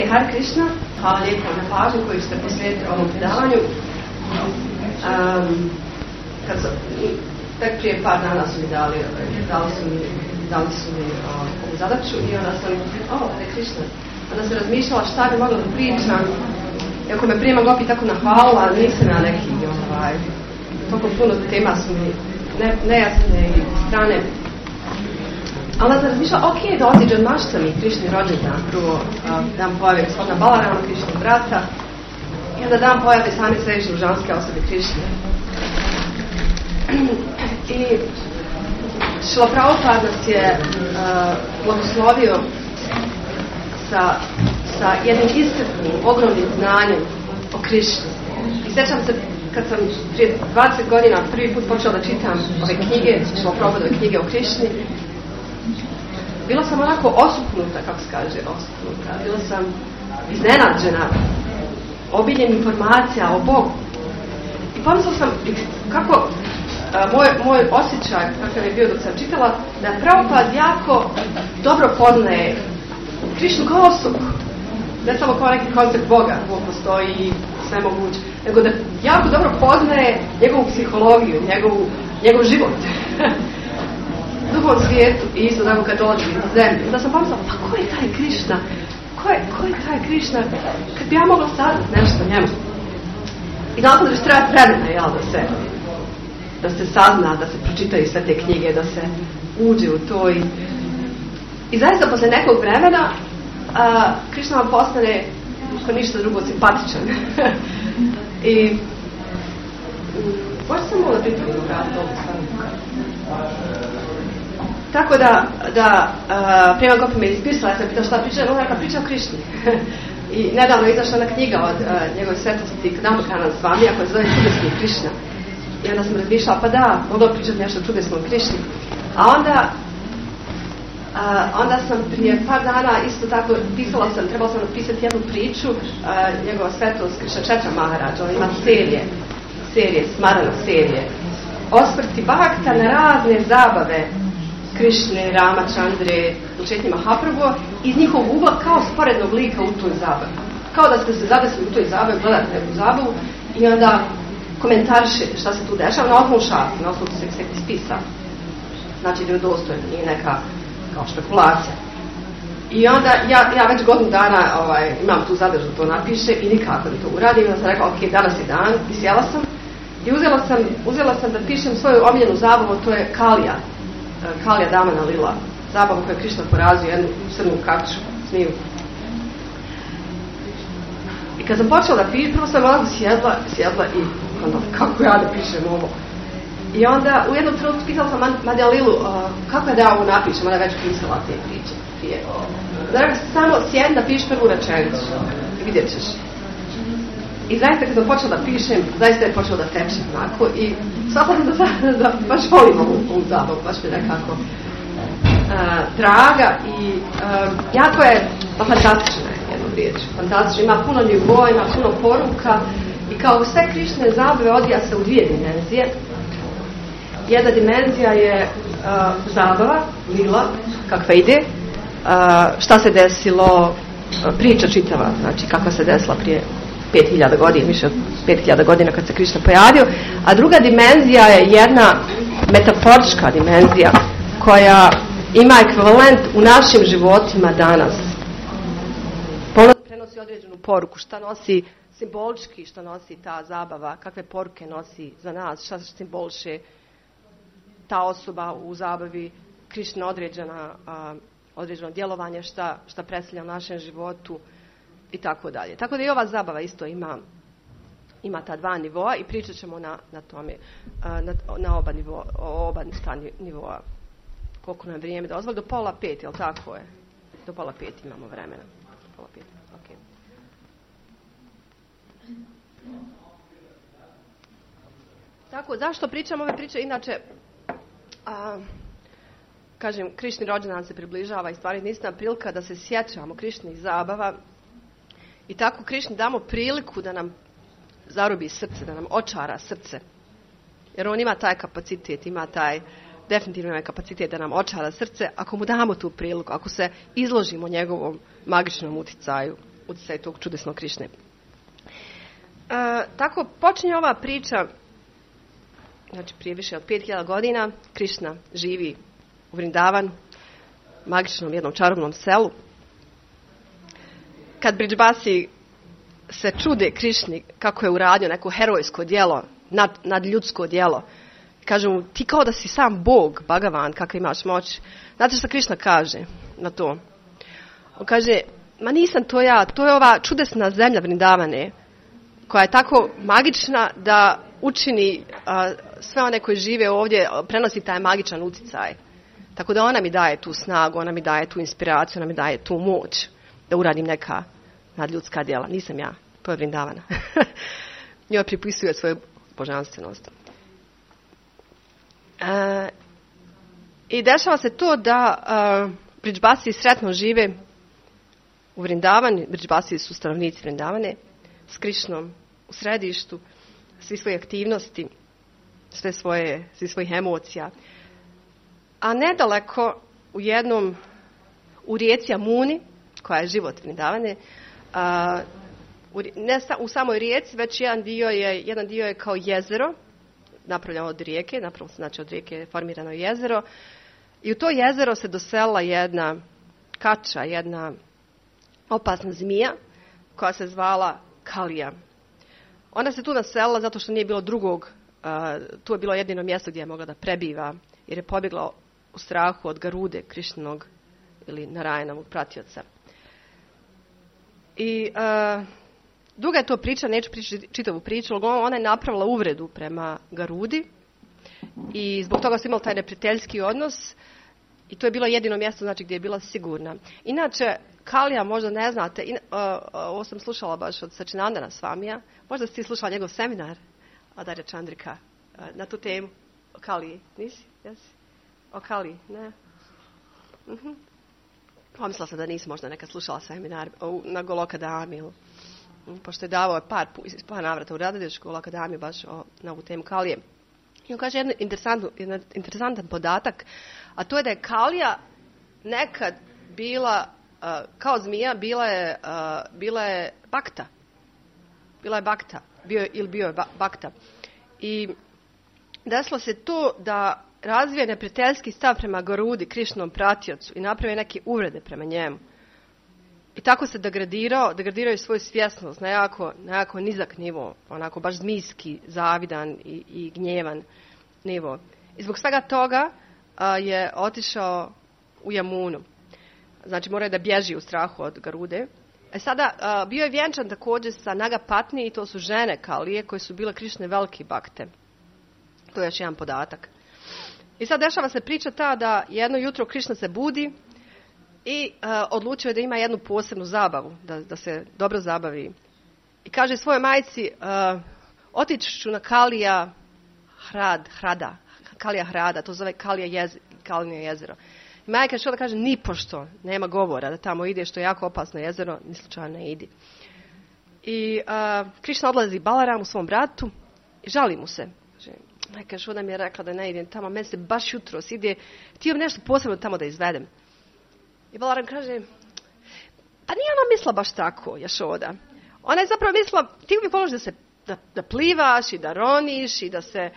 Hare Krishna, hvala lijepo na pažnju koju ste posvetili ovom predavanju. Tek prije par dana su mi dali su mi ovu zadaću i onda sam, Hare Krishna, onda sam razmišljala šta bi mogla da pričam. Iako me prije Gopi tako nahvalila, nisam ja neki, toliko puno tema su mi nejasne i strane. Ali sam razmišljala, da otiđe od maštami Krišni rođendan, prvo dan pojave gospodina Balarama, Krišnog brata, i onda dan pojave same središnje ženske osobe Krišne. I Šrila Prabhupada nas je blagoslovio sa jednim iscrpnim, ogromnim znanjem o Krišni. I sjećam se kad sam prije 20 godina prvi put počela da čitam ove knjige, Šrila Prabhupadove knjige o Krišni, bila sam onako osupnuta, kako se kaže, bila sam iznenađena obiljem informacija o Bogu. I pomislila sam kako moj osjećaj, kakav je bio dok sam čitala, da Prabhupada jako dobro poznaje Krišnu kao osobu. Ne samo kao neki koncept Boga, Bog postoji i sve moguće, nego da jako dobro poznaje njegovu psihologiju, njegov život. Duhovnom svijetu i isto tako kad dolazi na zemlju. Da sam pomislila, pa ko je taj Krišna? Ko je taj Krišna? Kad bi ja mogla saznat nešto o njemu. I znala da će trebati vremena, da se sazna, da se pročitaju sve te knjige, da se uđe u to. I zaista posle nekog vremena Krišna vam postane ko ništa drugo simpatičan. I možda sam mogla pripraviti raditi ovu stvarno. Tako da Prema Gopi me ispisala, ja sam pitala šta priča, ona neka priča o Krišni. I nedavno je izašla jedna knjiga od njegove svetosti Kadamakana Svamija koja se zove Čudesni Krišna. I onda sam razmišljala, pa da, mogla pričati nešto o čudesnom Krišni. A onda sam prije par dana isto tako trebala sam napisati jednu priču, njegova svetost Krišna Četra Maharađa, on ima serije, Smarana serije, osvrti Bhakta na razne zabave Krišne, Rama, Čandre, Četnji Mahaprabhu, iz njihovog ugla kao sporednog lika u toj zabavi. Kao da ste se zadesili u toj zabavi, gledate neku zabavu i onda komentarišete šta se tu dešava na osnovu šasti, na osnovu se spisa. Znači da je dostojno, nije neka kao špekulacija. I onda ja već godinu dana imam tu zadaću da to napiše i nikako da to uradim. I onda sam rekla, danas je dan, i sjela sam. I uzela sam da pišem svoju omiljenu zabavu, to je Kalija Damana Lila, zabavu koju je Krišna porazio, jednu crnu kaču, smiju. I kad sam počela da pišem, prvo sam onako sjedla i onda, kako ja da pišem ovo? I onda u jednom trenutku pitala sam Madja Lilu, kako je da ja ovo napišem, ona je već pisala te priče prije. Znači, samo sjedna, piši prvu rečenicu i vidjet ćeš. I zaista kad sam počela da pišem, zaista je počela da teče onako i shvatila sam da baš volim ovu zabavu, baš mi nekako draga i jako je fantastična jednom riječu. Fantastična, ima puno nivoa, ima puno poruka i kao sve Krišne zabave odvija se u dvije dimenzije. Jedna dimenzija je zabava, lila, kakva ide, šta se desilo, priča čitava, znači kakva se desila prije 5000 godina, više od 5000 godina kad se Krišna pojavio, a druga dimenzija je jedna metaforička dimenzija koja ima ekvivalent u našim životima danas. Prenosi određenu poruku, šta nosi simbolički, šta nosi ta zabava, kakve poruke nosi za nas, šta simboliše ta osoba u zabavi, Krišna određeno djelovanje, šta predstavlja u našem životu i tako dalje. Tako da i ova zabava isto ima ta dva nivoa i pričat ćemo na tome, na oba nivoa. Koliko nam vrijeme dozvoli? Do 4:30, jel tako je? Do 4:30 imamo vremena. 4:30, ok. Tako, zašto pričam ove priče? Inače, kažem, Krišni rođendan se približava i stvari nisam prilika da se sjećamo Krišnih zabava i tako Krišni damo priliku da nam zarobi srce, da nam očara srce. Jer on ima taj kapacitet, definitivno ima kapacitet da nam očara srce ako mu damo tu priliku, ako se izložimo njegovom magičnom uticaju. utjecaj tog čudesnog Krišne. Tako počinje ova priča, znači prije više od 5000 godina. Krišna živi u Vrindavanu, magičnom jednom čarobnom selu. Kad Bridžbasi se čude Krišni kako je uradio neko herojsko djelo, nadljudsko djelo, kaže mu, ti kao da si sam Bog, Bhagavan, kakva imaš moć. Znate što Krišna kaže na to? On kaže, ma nisam to ja, to je ova čudesna zemlja Vrindavane, koja je tako magična da učini sve one koji žive ovdje, prenosi taj magičan utjecaj. Tako da ona mi daje tu snagu, ona mi daje tu inspiraciju, ona mi daje tu moć da uradim neka nadljudska djela. Nisam ja, to je Vrindavana. Njoj pripisuje svoju božanstvenost. I dešava se to da Bridžbasi sretno žive u Vrindavani. Bridžbasi su stanovnici Vrindavane, s Krišnom u središtu, svi svoje aktivnosti, svi svojih emocija. A nedaleko u rijeci Amuni, koja je život Vrindavane, ne u samoj rijeci, već jedan dio je kao jezero, napravljeno od rijeke, znači od rijeke je formirano jezero, i u to jezero se doselila jedna kača, jedna opasna zmija koja se zvala Kalija. Ona se tu naselila zato što nije bilo drugog, tu je bilo jedino mjesto gdje je mogla da prebiva, jer je pobjegla u strahu od Garude, Krišnog ili Narayanovog pratioca. I duga je to priča, neću pričati čitavu priču, ali ona je napravila uvredu prema Garudi i zbog toga su imali taj neprijateljski odnos i to je bilo jedino mjesto, znači, gdje je bila sigurna. Inače, Kalija, možda ne znate, ovo sam slušala baš od Sačinandana Svamija, možda si ti slušala njegov seminar, Adarya Chandrika, na tu temu o Kaliji. Nisi? Jesi? O Kaliji, ne? Pomislila sam da nisi možda nekad slušala seminar na Golokadami, pošto je davao par navrata u Radhadešku Golokadami baš na ovu temu Kalije. I on kaže jedan interesantan podatak, a to je da je Kalija nekad bila kao zmija, bila je bakta. Bila je bakta. Bio je bakta. I desilo se to da razvije neprijateljski stav prema Garudi, Krišnom pratiocu, i napravio neke uvrede prema njemu. I tako se degradirao je svoju svjesnost na jako nizak nivo, onako baš zmijski, zavidan i gnjevan nivo. I zbog svega toga je otišao u Jamunu. Znači, morao je da bježi u strahu od Garude. Sada bio je vjenčan također sa Nagapatni, i to su žene Kalije koje su bile Krišne velike bakte. To je još jedan podatak. I sad dešava se priča ta da jedno jutro Krišna se budi i odlučio je da ima jednu posebnu zabavu, da se dobro zabavi. I kaže svojoj majci, otići ću na Kalija Hrada, to zove Kalijino jezero. I majka što da kaže, nipošto, nema govora da tamo ide, što je jako opasno jezero, ni slučajno ne idi. I Krišna odlazi Balaramu, svom bratu, i žali mu se. Majka što nam je rekla da ne idem tamo, meni se baš jutros ide, htio nešto posebno tamo da izvedem. I Balaram kaže, pa nije ona mislila baš tako, Jašoda. Ona je zapravo mislila, ti uvijek voliš da plivaš i da roniš i da se...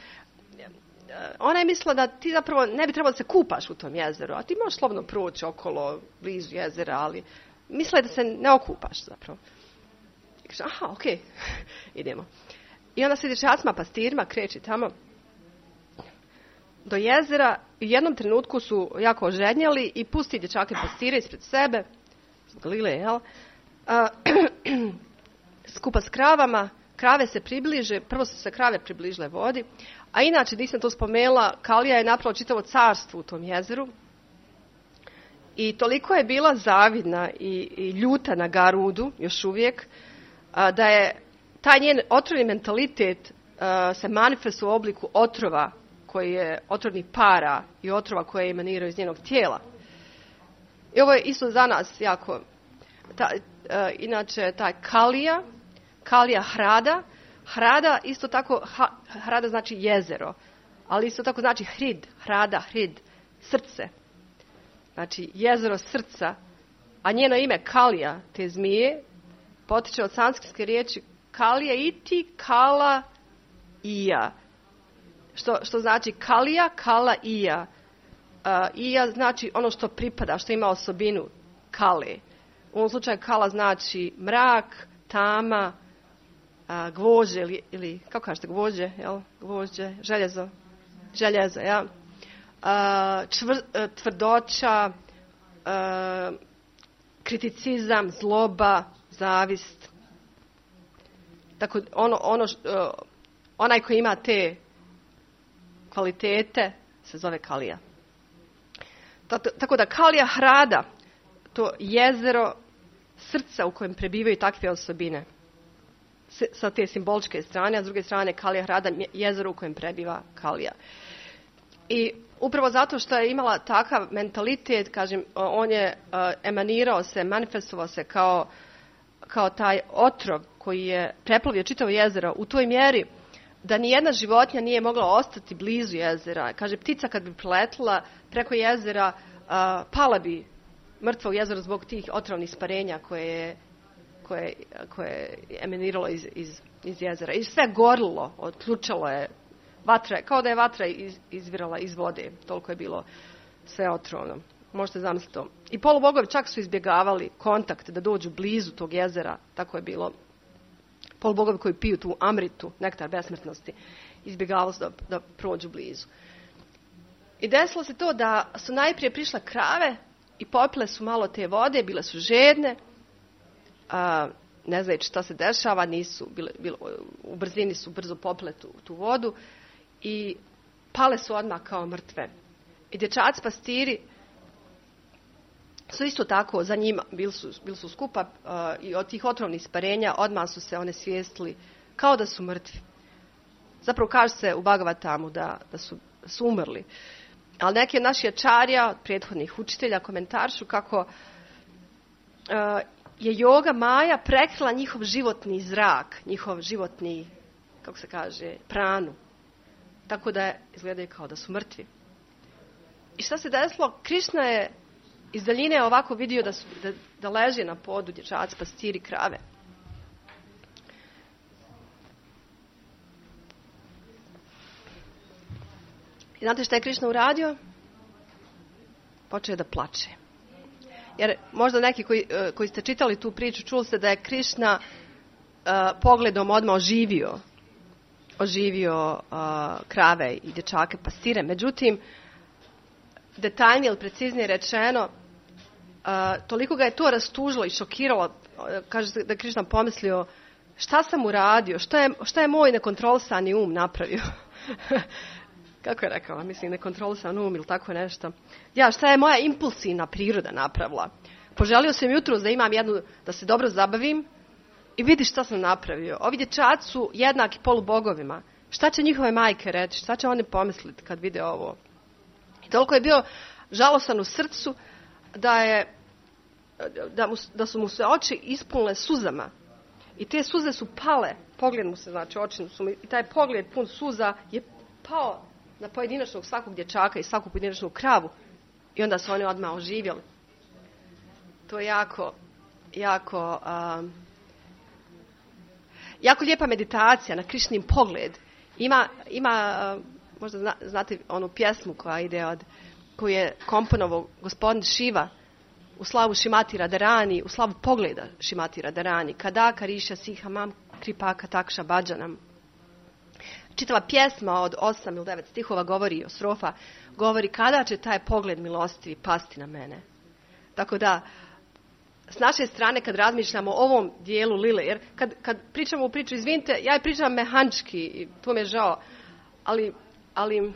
Ona je mislila da ti zapravo ne bi trebalo da se kupaš u tom jezeru, a ti možeš slobodno proći okolo, blizu jezera, ali mislila je da se ne okupaš zapravo. I kaže, aha, okej, idemo. I onda se dječacima pastirima kreće tamo do jezera i u jednom trenutku su jako ožednjeli i pusti dječake pastire ispred sebe, Galile, jel? Skupa s kravama, krave se približe, prvo su se krave približile vodi, a inače, nisam to spomenula, Kalija je napravila čitavo carstvo u tom jezeru i toliko je bila zavidna i ljuta na Garudu, još uvijek, da je taj njen otrovni mentalitet se manifestuje u obliku otrova, koji je otrovnih para i otrova koje emaniraju iz njenog tijela. I ovo je isto za nas jako... inače, taj Kalija Hrada, isto tako, Hrada znači jezero, ali isto tako znači Hrid, srce. Znači, jezero srca, a njeno ime Kalija, te zmije, potiče od sanskritske riječi kalija iti, kala ija. Što znači kalija, kala ija. Ija znači ono što pripada, što ima osobinu kale. U ovom slučaju kala znači mrak, tama, gvožđe ili kako kažete gvožđe, jel? Gvožđe, željezo, ja. Tvrdoća, kriticizam, zloba, zavist. Tako onaj koji ima te kvalitete se zove kalija. Tako da kalija hrada, to jezero srca u kojem prebivaju takve osobine. Sa te simboličke strane, a s druge strane kalija hrada, jezero u kojem prebiva kalija. I upravo zato što je imala takav mentalitet, kažem, on je emanirao se, manifestovao se kao taj otrov koji je preplavio čitavo jezero u toj mjeri da nijedna životinja nije mogla ostati blizu jezera. Kaže, ptica kad bi preletila preko jezera, pala bi mrtva u jezero zbog tih otrovnih isparenja koje je emaniralo iz jezera. I sve gorilo, otključalo je vatra, kao da je vatra izvirala iz vode. Toliko je bilo sve otrovno. Možete zamisliti to. I polubogovi čak su izbjegavali kontakt da dođu blizu tog jezera. Tako je bilo. Polubogovi koji piju tu amritu, nektar besmrtnosti, izbjegavali su da prođu blizu. I desilo se to da su najprije prišle krave i popile su malo te vode, bile su žedne, ne znajući šta se dešava, u brzini su brzo popile tu vodu i pale su odmah kao mrtve. I dječaci pastiri su isto tako za njima, bili su skupa i od tih otrovnih isparenja odmah su se one svijestili kao da su mrtvi. Zapravo kaže se u Bhagavatamu da su umrli. Ali neki od naših ačarija, od prethodnih učitelja, komentaršu kako je yoga maja prekrila njihov životni zrak, njihov životni, kako se kaže, pranu. Tako da izgledaju kao da su mrtvi. I šta se desilo? Krišna je iz daljine ovako vidio da leže na podu dječaci, pastiri, krave. I znate šta je Krišna uradio? Počeo je da plače. Jer možda neki koji ste čitali tu priču, čuli ste da je Krišna pogledom odmah oživio krave i dječake, pastire. Međutim, detaljnije ili preciznije rečeno, toliko ga je to rastužilo i šokiralo, kaže da je Krišna pomislio, šta sam uradio, šta je moj nekontrolisani um napravio? Kako je rekao, mislim, nekontrolisan um ili tako nešto. Šta je moja impulsivna priroda napravila? Poželio sam jutros da imam da se dobro zabavim i vidi šta sam napravio. Ovi dječaci su jednaki polubogovima. Šta će njihove majke reći? Šta će oni pomisliti kad vide ovo? I toliko je bio žalosan u srcu da su mu se oči ispunile suzama. I te suze su pale. Pogled mu se, znači, oči su mu, i taj pogled pun suza je pao na pojedinačnog svakog dječaka i svaku pojedinačnu kravu. I onda su oni odmah oživjeli. To je jako lijepa meditacija na Krišnin pogled. Ima možda znate onu pjesmu koja ide koju je komponovao gospodin Šiva u slavu Šimati Radharani, u slavu pogleda Šimati Radharani. Kada kariša siha mam kripaka takša bađanam. Čitava pjesma od 8 ili 9 stihova govori kada će taj pogled milostivi pasti na mene. Tako da, s naše strane kad razmišljamo o ovom dijelu lile, jer kad pričamo u priču, izvinite, ja je pričam mehančki i to mi je žao, ali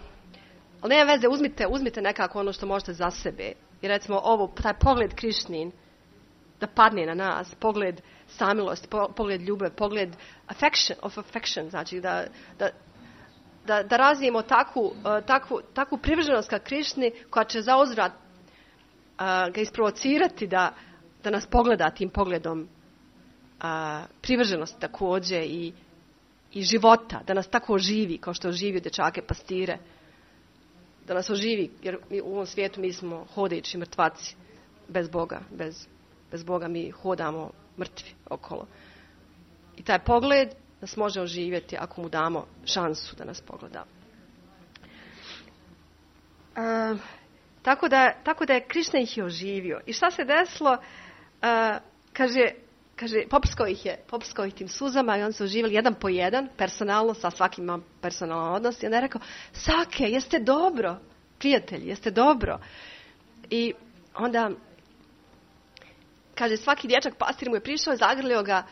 nema veze, uzmite nekako ono što možete za sebe. I recimo taj pogled Krišnin da padne na nas, pogled samilosti, pogled ljubav, pogled affection, znači da razvijemo takvu privrženost ka Krišni koja će zauzvrat ga isprovocirati da nas pogleda tim pogledom privrženosti također i života, da nas tako oživi kao što oživio dječake pastire, da nas oživi, jer u ovom svijetu mi smo hodajući mrtvaci bez Boga, bez Boga mi hodamo mrtvi okolo. I taj pogled nas može oživjeti ako mu damo šansu da nas pogleda. Tako da je Krišna ih je oživio. I šta se desilo? Kaže, poprskao ih tim suzama i oni su oživjeli jedan po jedan, personalno, sa svakim imam personalan odnos. I onda je rekao, Sake, jeste dobro, prijatelji, jeste dobro. I onda, kaže, svaki dječak pastir mu je prišao, zagrlio ga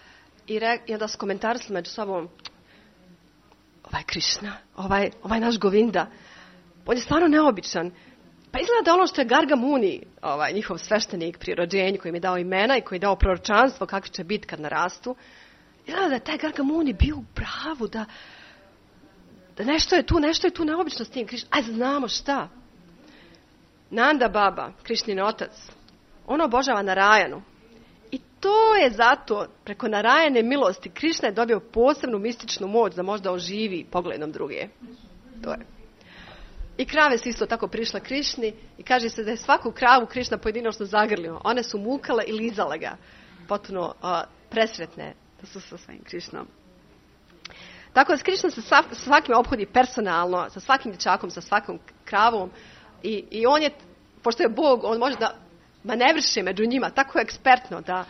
i onda su komentarisali među sobom, ovaj Krišna, ovaj naš Govinda, on je stvarno neobičan. Pa izgleda da ono što je Garga Muni, njihov sveštenik pri rođenju, koji im je dao imena i koji je dao proročanstvo kakvi će biti kad narastu, izgleda da je taj Garga Muni bio u pravu, da nešto je tu neobično s tim Krišnom. Aj, znamo šta. Nanda Baba, Krišnin otac, on obožava Narajanu. I to je zato, preko Narajane milosti, Krišna je dobio posebnu mističnu moć da možda oživi pogledom druge. To je. I krave su isto tako prišle Krišni i kaže se da je svaku kravu Krišna pojedinačno zagrlio. One su mukale i lizale ga. Potpuno presretne da su sa svojim Krišnom. Tako da Krišna se svakim ophodi personalno, sa svakim dječakom, sa svakom kravom. I on je, pošto je Bog, on može da manevrše među njima tako ekspertno da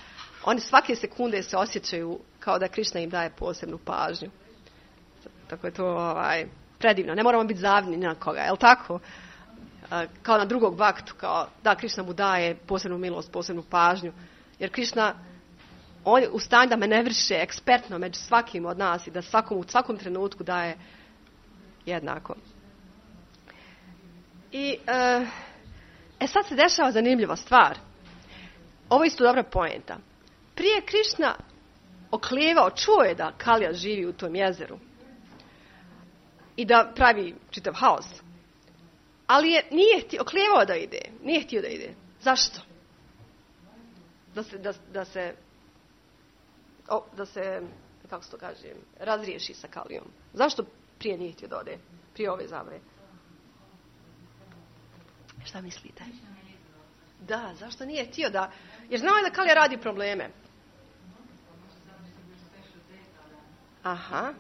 oni svake sekunde se osjećaju kao da Krišna im daje posebnu pažnju. Tako je to predivno. Ne moramo biti zavidni na koga, je li tako? Kao na drugog baktu, kao da Krišna mu daje posebnu milost, posebnu pažnju. Jer Krišna, on je u stanju da manevrše ekspertno među svakim od nas i da u svakom trenutku daje jednako. I sad se dešava zanimljiva stvar. Ovo je isto dobra poenta. Prije Krišna oklijevao, čuo je da Kalija živi u tom jezeru i da pravi čitav haos. Ali nije oklijevao da ide. Nije htio da ide. Zašto? Da se kako se to kaže, razriješi sa Kalijom. Zašto prije nije htio da ode? Prije ove zabre. Šta mislite? Da, zašto nije htio da... Jer znao je da Kalija radi probleme. Aha.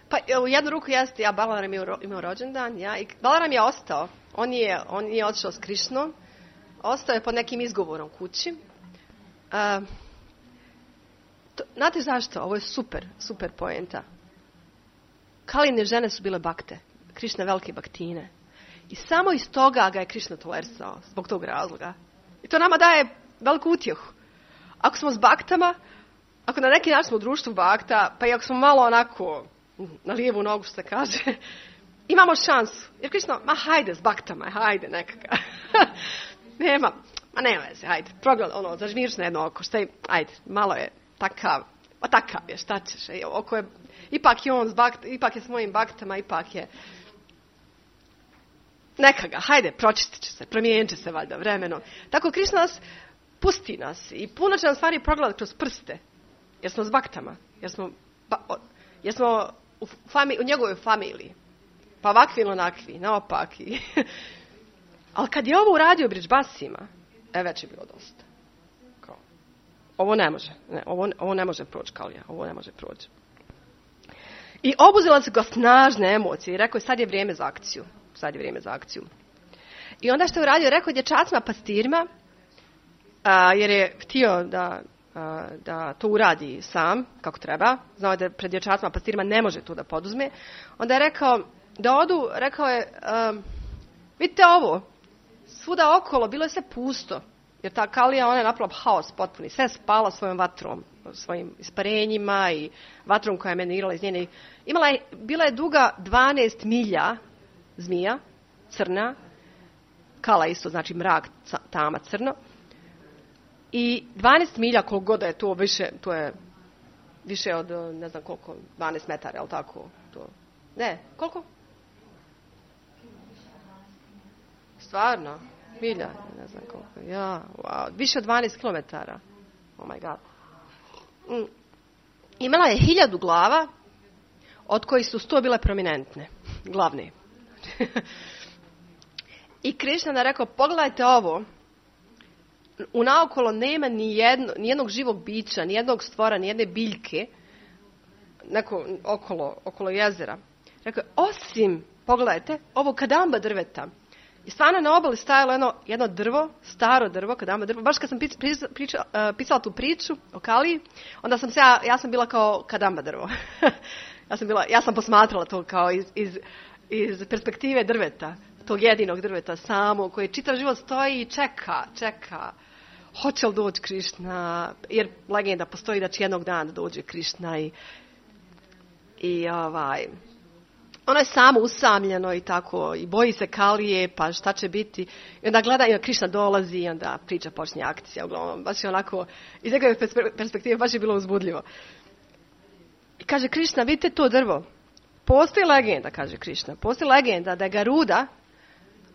Pa u jednu ruku jeste, Balaram je imao rođendan, i Balaram je ostao. On je otišao s Krišnom. Ostao je pod nekim izgovorom kući. Znate zašto? Ovo je super poenta. Kaline žene su bile bakte. Krišna velike baktine. I samo iz toga ga je Krišna tolerisao, zbog tog razloga. I to nama daje veliku utjehu. Ako smo s baktama, ako na neki način smo u društvu bakta, pa i ako smo malo onako na lijevu nogu, što se kaže, imamo šansu. Jer Krišna, hajde s baktama, hajde nekaka. Nema veze, hajde, zažmiriš na jedno oko, ajde, malo je takav je, šta ćeš, oko je, ipak je on ipak je s mojim baktama, ipak je, neka ga, hajde, pročistit će se, promijenit će se valjda vremenom. Tako Krišna pusti nas i puno će nam stvari progledati kroz prste, jer smo s baktama, jer smo u njegovoj familiji, pa ovakvi ili onakvi, naopaki. Ali kad je ovo uradio Bridžbasima, već je bilo dosta. Ovo ne može. Ovo ne može proći, Kalija. Ovo ne može proći. I obuzela se ga snažne emocije i rekao je, sad je vrijeme za akciju. I onda što je uradio, rekao je dječacima pastirima, jer je htio da to uradi sam, kako treba. Znao je da pred dječacima pastirima ne može to da poduzme. Onda je rekao da odu, rekao je, vidite ovo, svuda okolo bilo je sve pusto. Jer ta Kalija, ona je napravila haos potpuni. Sve spala svojom vatrom, svojim isparenjima i vatrom koja je emanirala iz njene. Bila je duga 12 milja zmija, crna. Kala isto, znači mrak, tama, crno. I 12 milja, koliko god je to više, to je više od, ne znam koliko, 12 metara, je li tako? Ne, koliko? Stvarno? Milja, ne znam koliko. Wow, više od 12 kilometara. Oh my god. Imala je 1000 glava, od kojih su 100 bile prominentne, glavne. I Krišna je rekao, pogledajte ovo, unaokolo nema nijednog živog bića, nijednog stvora, nijedne biljke okolo jezera. Rekao, osim, pogledajte, ovo kadamba drveta. I stvarno na obali stajalo jedno drvo, staro drvo, kadamba drvo. Baš kad sam pisala tu priču o Kaliji, onda sam ja sam bila kao kadamba drvo. ja sam posmatrala to kao iz perspektive drveta, tog jedinog drveta samo, koji čitav život stoji i čeka. Hoće li doći Krišna? Jer legenda postoji da će jednog dana dođe Krišna i ono je samo usamljeno i tako, i boji se Kalije, pa šta će biti. I onda gleda i Krišna dolazi i onda priča počne akcija. Uglavnom, baš je onako, iz njegove perspektive baš je bilo uzbudljivo. I kaže Krišna, vidite to drvo. Postoji legenda, kaže Krišna, postoji legenda da je Garuda,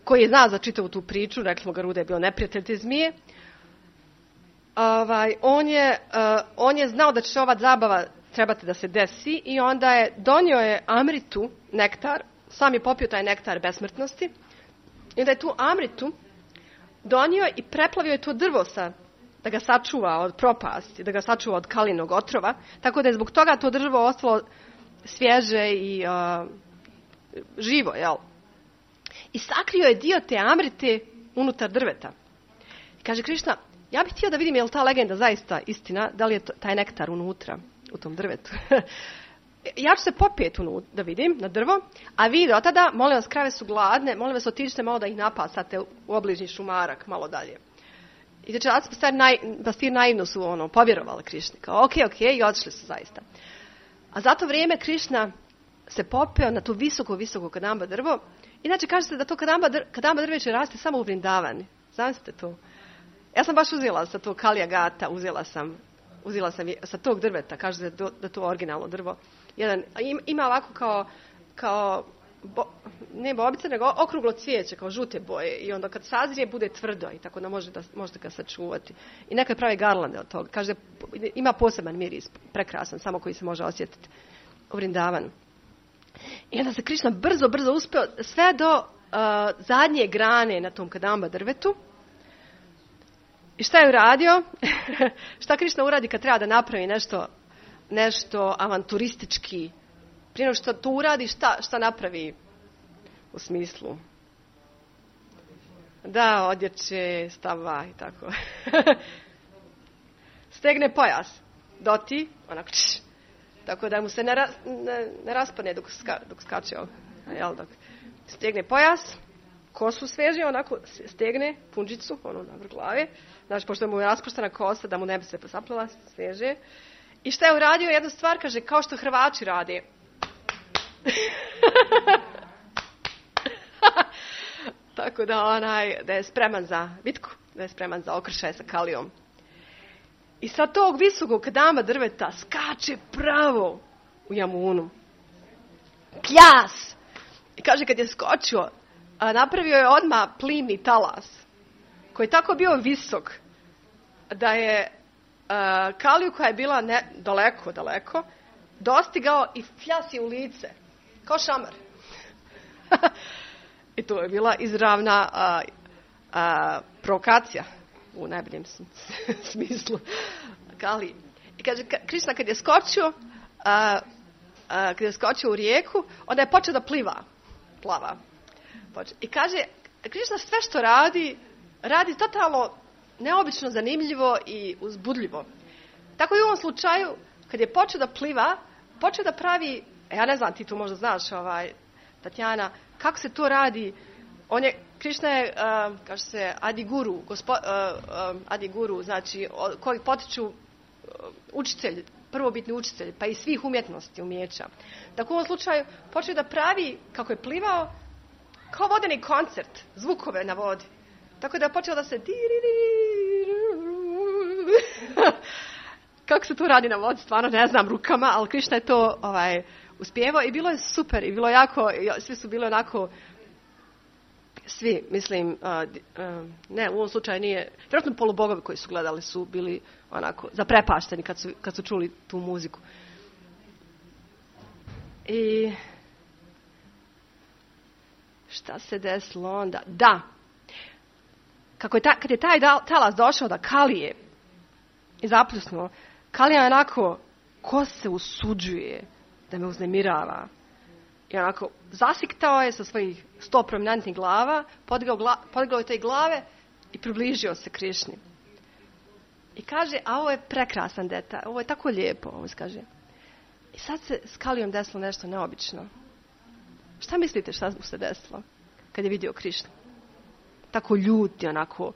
koji je znao za čitavu tu priču, rekli smo Garuda je bio neprijatelj te zmije, on je znao da će ova zabava trebati da se desi i onda donio je Amritu, nektar, sam je popio taj nektar besmrtnosti i onda je tu Amritu donio i preplavio je to drvo da ga sačuva od propasti, da ga sačuva od kalinog otrova, tako da je zbog toga to drvo ostalo svježe i živo, jel? I sakrio je dio te Amrite unutar drveta. I kaže Krišna, ja bih htio da vidim je li ta legenda zaista istina, da li je taj nektar unutra u tom drvetu. Ja ću se popijeti da vidim na drvo, a vi do tada, molim vas, krave su gladne, molim vas, otiđite malo da ih napasate u obližnji šumarak, malo dalje. I znači, pastir naivno su povjerovali Krišni, kao ok, i otišli su zaista. A za to vrijeme Krišna se popeo na to visoko kadamba drvo. Inače, kaže se da to kadamba drveće raste samo u Vrindavani. Zamislite to. Ja sam baš uzela sa tog Kalija Gata, uzela sam sa tog drveta, kaže se da to originalno drvo. Ima ovako ne bobice, nego okruglo cvijeće, kao žute boje. I onda kad sazrije, bude tvrdo i tako da možete ga sačuvati. I neke prave garlande od toga. Kaže, ima poseban miris, prekrasan, samo koji se može osjetiti u Vrindavanu. I onda se Krišna brzo uspio sve do zadnje grane na tom kadamba drvetu. I šta je uradio? Šta Krišna uradi kad treba da napravi nešto avanturistički? Prije nego što to uradi, šta napravi u smislu? Da, odjeće, stava i tako. Stegne pojas. Doti, onako tako da mu se ne raspane dok skače. Dok stegne pojas, kosu sveže, onako stegne punđicu, na vrh glave. Znači, pošto mu je raspuštena kosa, da mu ne bi se posapljala, sveže. I šta je uradio? Jednu stvar, kaže, kao što Hrvači rade. Tako da je spreman za bitku, da je spreman za okršaj sa Kalijom. I sa tog visokog kadamba drveta skače pravo u Jamunu. Pljas! I kaže, kad je skočio, napravio je odmah plimni talas, koji je tako bio visok, da je Kaliju, koja je bila daleko, dostigao i fljasi u lice, kao šamar. I to je bila izravna provokacija, u najboljem smislu Kaliji. I kaže, Krišna kad je skočio u rijeku, onda je počeo da plava. I kaže, Krišna sve što radi totalno neobično zanimljivo i uzbudljivo. Tako i u ovom slučaju, kad je počeo da pliva, počeo da pravi, ja ne znam, ti tu možda znaš, Tatjana, kako se to radi. Krišna je, kaže se, Adiguru, znači, koji potiču učitelj, prvobitni učitelj, pa i svih umjetnosti, umijeća. Tako u ovom slučaju počeo da pravi, kako je plivao, kao vodeni koncert, zvukove na vodi. Tako da je počeo da se kako se to radi na vodi, stvarno ne znam rukama, ali Krišna je to uspjevao i bilo je super i bilo jako, svi su bili onako, svi, mislim, ne, u ovom slučaju nije, vjerojatno polubogovi koji su gledali su bili onako zaprepašteni kad su čuli tu muziku. I šta se desilo onda? Da, kad je taj talas došao da Kalije i zapljusnuo, Kalija je onako, ko se usuđuje da me uznemirava? I onako, zasiktao je sa svojih 100 prominentnih glava, podigao je te glave i približio se Krišni. I kaže, a ovo je prekrasan detalj, ovo je tako lijepo, ovo se kaže. I sad se s Kalijom desilo nešto neobično. Šta mislite šta mu se desilo kad je vidio Krišnu? Tako ljuti, onako,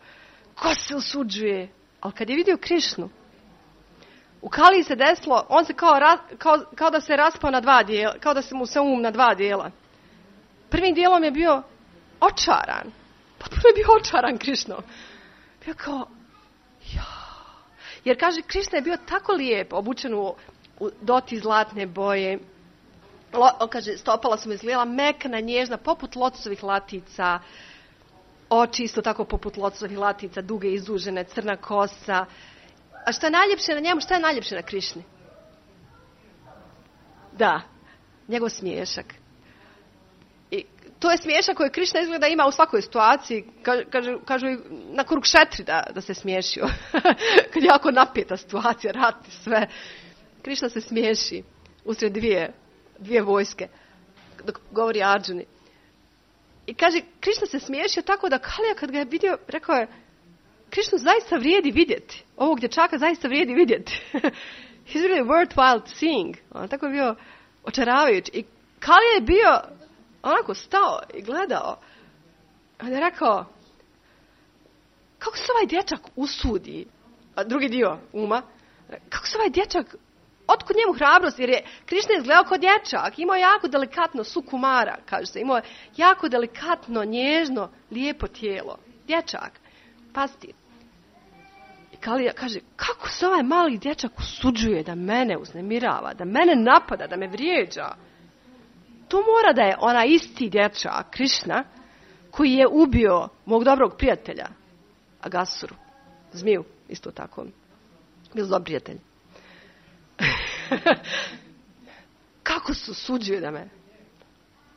ko se usuđuje? Ali kad je vidio Krišnu, u Kaliji se desilo, on se kao da se raspao na 2 dijela, kao da se mu se na 2 dijela. Prvim dijelom je bio očaran. Potpuno je bio očaran Krišnom. Bio kao, jer kaže, Krišna je bio tako lijep, obučen u doti zlatne boje. Kaže, stopala su mu izgledala mekana, nježna, poput lotosovih latica. Oči isto tako poput lotosovih latica, duge, izdužene, crna kosa. A šta je najljepše na njemu, šta je najljepše na Krišni? Da, njegov smiješak. I to je smiješak koji Krišna izgleda ima u svakoj situaciji. Kažu na Kurukšetri da se smiješio. Kad je jako napeta situacija, rat i sve. Krišna se smiješi usred dvije vojske. Dok govori Arđuni. I kaže, Krišna se smiješio tako da Kalija kad ga je vidio, rekao je, Krišnu zaista vrijedi vidjeti. Ovog dječaka zaista vrijedi vidjeti. He's really worthwhile seeing. Tako je bio očaravajući. I Kalija je bio onako stao i gledao. On je rekao, kako se ovaj dječak usudi? A drugi dio uma. Kako se ovaj dječak, otkud njemu hrabrost? Jer je Krišna izgledao kao dječak. Imao jako delikatno sukumara, kaže se. Imao jako delikatno, nježno, lijepo tijelo. Dječak. Pazite. I Kalija kaže, kako se ovaj mali dječak usuđuje da mene uznemirava, da mene napada, da me vrijeđa. To mora da je ona isti dječak, Krišna, koji je ubio mog dobrog prijatelja, Agasuru, zmiju, isto tako. Bio dobar prijatelj. Kako se usuđuje da me...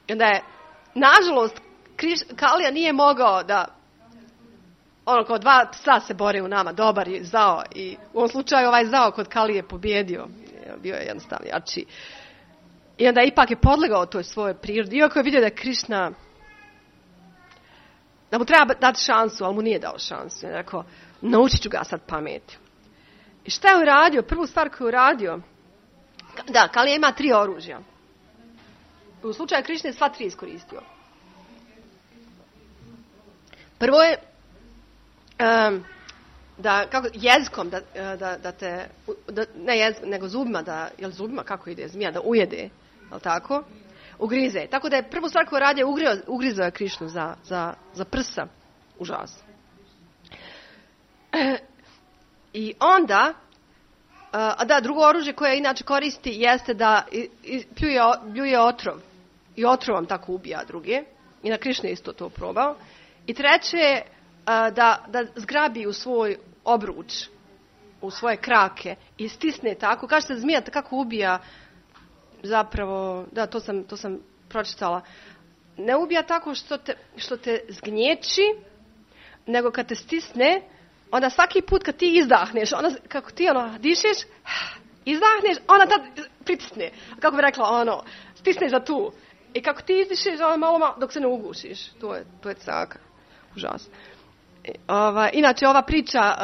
I onda je, nažalost, Kalija nije mogao da... Ono, kao 2 psa se bore u nama, dobar je zao. I u ovom slučaju ovaj zao kod Kalije je pobjedio. Bio je jednostavno jači. I onda ipak je podlegao toj svojoj prirodi. Iako je vidio da je Krišna, da mu treba dati šansu, ali mu nije dao šansu. Je rekao, naučit ću ga sad pameti. I šta je uradio? Prvu stvar koju je uradio, da, Kalija ima 3 oružja. U slučaju Krišne je sva 3 iskoristio. Prvo je da kako jezikom da te ne jezikom, nego zubima jel zubima kako ide zmija da ujede, jel tako? Ugrize. Tako da je prvu stvar koju radio ugrizao je Krišnu za prsa. Užasno. I onda drugo oružje koje inače koristi jeste da pljuje otrov. I otrovom tako ubija druge. I na Krišnu je isto to probao. I treće je da zgrabi u svoj obruč, u svoje krake i stisne tako. Kaže se zmija kako ubija zapravo, da, to sam pročitala. Ne ubija tako što te zgnječi, nego kad te stisne, onda svaki put kad ti izdahneš, onda kako ti dišeš, izdahneš, ona tad pritisne. Kako bi rekla, stisneš za tu. I kako ti izdišeš, malo dok se ne ugušiš. To je caka. Užasno. Inače, ova priča,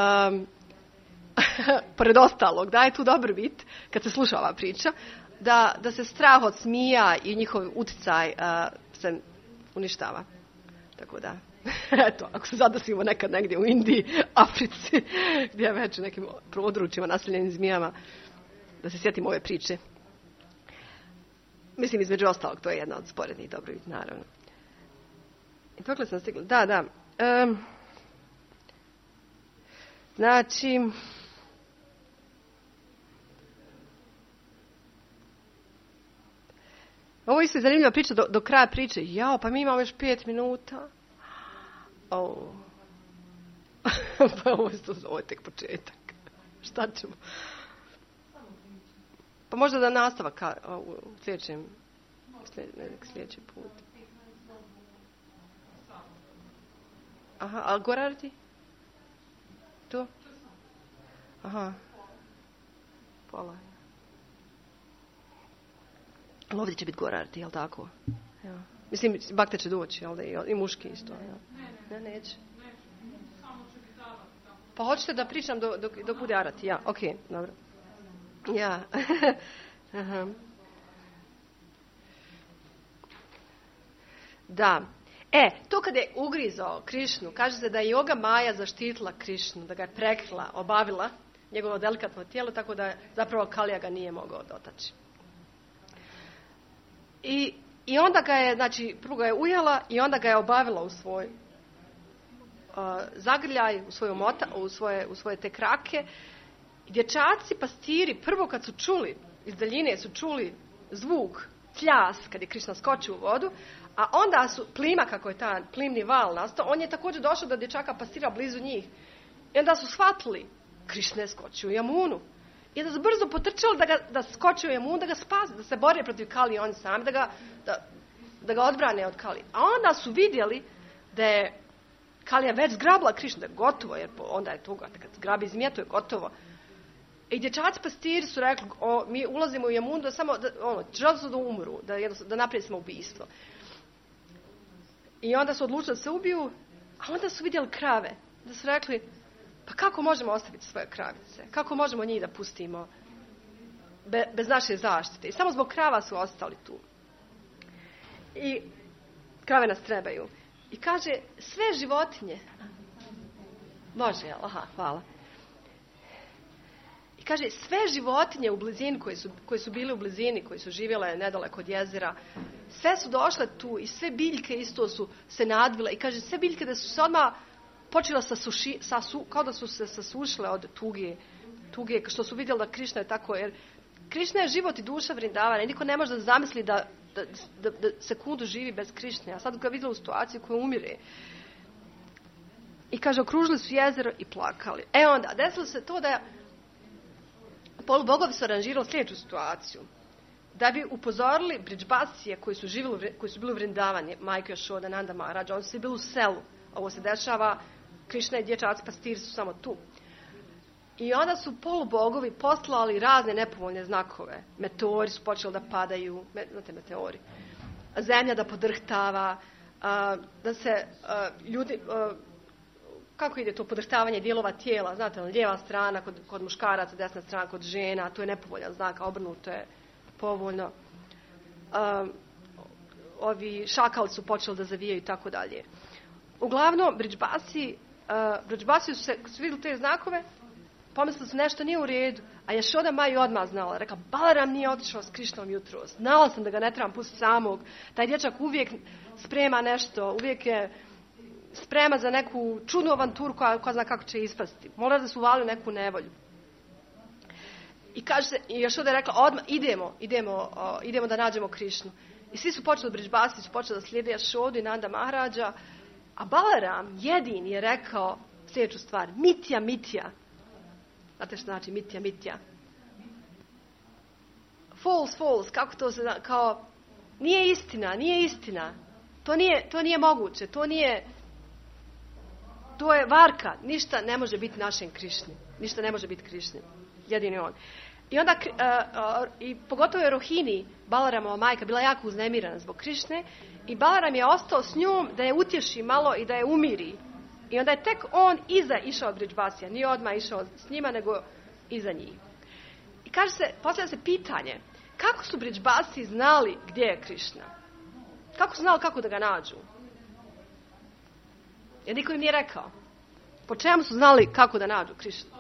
pored ostalog, daje tu dobar bit, kad se sluša ova priča, da se strah od zmija i njihov utjecaj se uništava. Tako da, eto, ako se zadesimo nekad negdje u Indiji, Africi, gdje je već u nekim područjima naseljenim zmijama, da se sjetimo ove priče. Mislim, između ostalog, to je jedna od sporednih dobrobiti, naravno. I dokle sam stigla? Da. Znači, ovo isto je zanimljiva priča do kraja priče. Jao, pa mi imamo još 5 minuta. Pa ovo je tek početak. Šta ćemo? Pa možda da nastavak u sljedeći put. Aha, ali Gorardi? Tu? Aha. Pola. Ali ovdje će biti gorarti, jel tako? Ja. Mislim, bakte će doći, jel da? I muški isto. Ja. Ne, neće. Pa hoćete da pričam dok bude arati? Ja, ok, dobro. Ja. Aha. Da. To kad je ugrizao Krišnu, kaže se da je Yoga Maja zaštitila Krišnu, da ga je prekrila, obavila njegovo delikatno tijelo, tako da zapravo Kalija ga nije mogao dotaći. I onda ga je, znači, prvo ga je ujela i onda ga je obavila u svoj zagrljaj, u svoje te krake. I dječaci, pastiri, prvo kad su čuli, iz daljine su čuli zvuk, pljas, kad je Krišna skočio u vodu, a onda su, plima, kako je ta plimni val nastao, on je također došao do dječaka pastira blizu njih. I onda su shvatili, Krišna je skočio u Jamunu. I da su brzo potrčali da skoče u Jamunu, da ga spase, da se bore protiv Kalije oni sami, da ga odbrane od Kalije. A onda su vidjeli da je Kalija već zgrabila Krišnu, da je gotovo, jer onda je tuga, kad zgrabi zmija, to je gotovo. I dječaci pastiri su rekli, mi ulazimo u Jamunu želi su da umru, da napravi samoubistvo. I onda su odlučili da se ubiju, a onda su vidjeli krave. Da su rekli, pa kako možemo ostaviti svoje kravice? Kako možemo njih da pustimo bez naše zaštite? I samo zbog krava su ostali tu. I krave nas trebaju. I kaže, sve životinje. Može, jel? Aha, hvala. I kaže, sve životinje u blizini, koje su bile u blizini, koje su živjele nedaleko od jezera, sve su došle tu i sve biljke isto su se nadvile. I kaže, sve biljke da su se odmah počela kao da su se sasušile od tuge, što su vidjeli da Krišna je tako, jer Krišna je život i duša Vrindavana i niko ne može da zamisli da sekundu živi bez Krišne. A sad ga vidjela u situaciji koja umire. I kaže, okružili su jezero i plakali. Onda, desilo se to da polubogovi su aranžirali sljedeću situaciju. Da bi upozorili Bridžbasije koji su bili u Vrindavani, majke Jašoda, Nanda Maharaj, oni su bili u selu. Ovo se dešava, Krišna i dječaci pastiri su samo tu. I onda su polubogovi poslali razne nepovoljne znakove. Meteori su počeli da padaju, znate meteori. Zemlja da podrhtava, da se ljudi, kako ide to podrhtavanje dijelova tijela, znate, lijeva strana kod muškaraca, desna strana kod žena, to je nepovoljan znak, a obrnuto je povoljno. Ovi šakali su počeli da zavijaju i tako dalje. Uglavnom, Bridžbasi su vidjeli te znakove, pomislili su nešto nije u redu, a Jašoda Maju odmah znala. Rekla, Balaram nije otišao s Krišnom jutro. Znala sam da ga ne trebam pustiti samog. Taj dječak uvijek sprema nešto, uvijek je sprema za neku čudnu avanturu koja zna kako će ispasti. Mora da su uvali neku nevolju. I kaže se, i Jašoda je rekla, odmah idemo da nađemo Krišnu. I svi su počeli, Bridžbasi su počeli da slijede Jašodu i Nanda Maharađa, a Balaram jedin je rekao sljedeću stvar, mitja. Znate što znači mitja? False, kako to se zna, kao, nije istina. To nije moguće, to je varka, ništa ne može biti našem Krišni. Ništa ne može biti Krišni, jedini on. I onda, i pogotovo je Rohini, Balaramova majka, bila jako uznemirana zbog Krišne i Balaram je ostao s njom da je utješi malo i da je umiri. I onda je tek on išao od Bridžbasija, nije odmah išao s njima, nego iza njih. I postavlja se pitanje, kako su Bridžbasi znali gdje je Krišna? Kako su znali kako da ga nađu? Jer niko im nije rekao. Po čemu su znali kako da nađu Krišnu?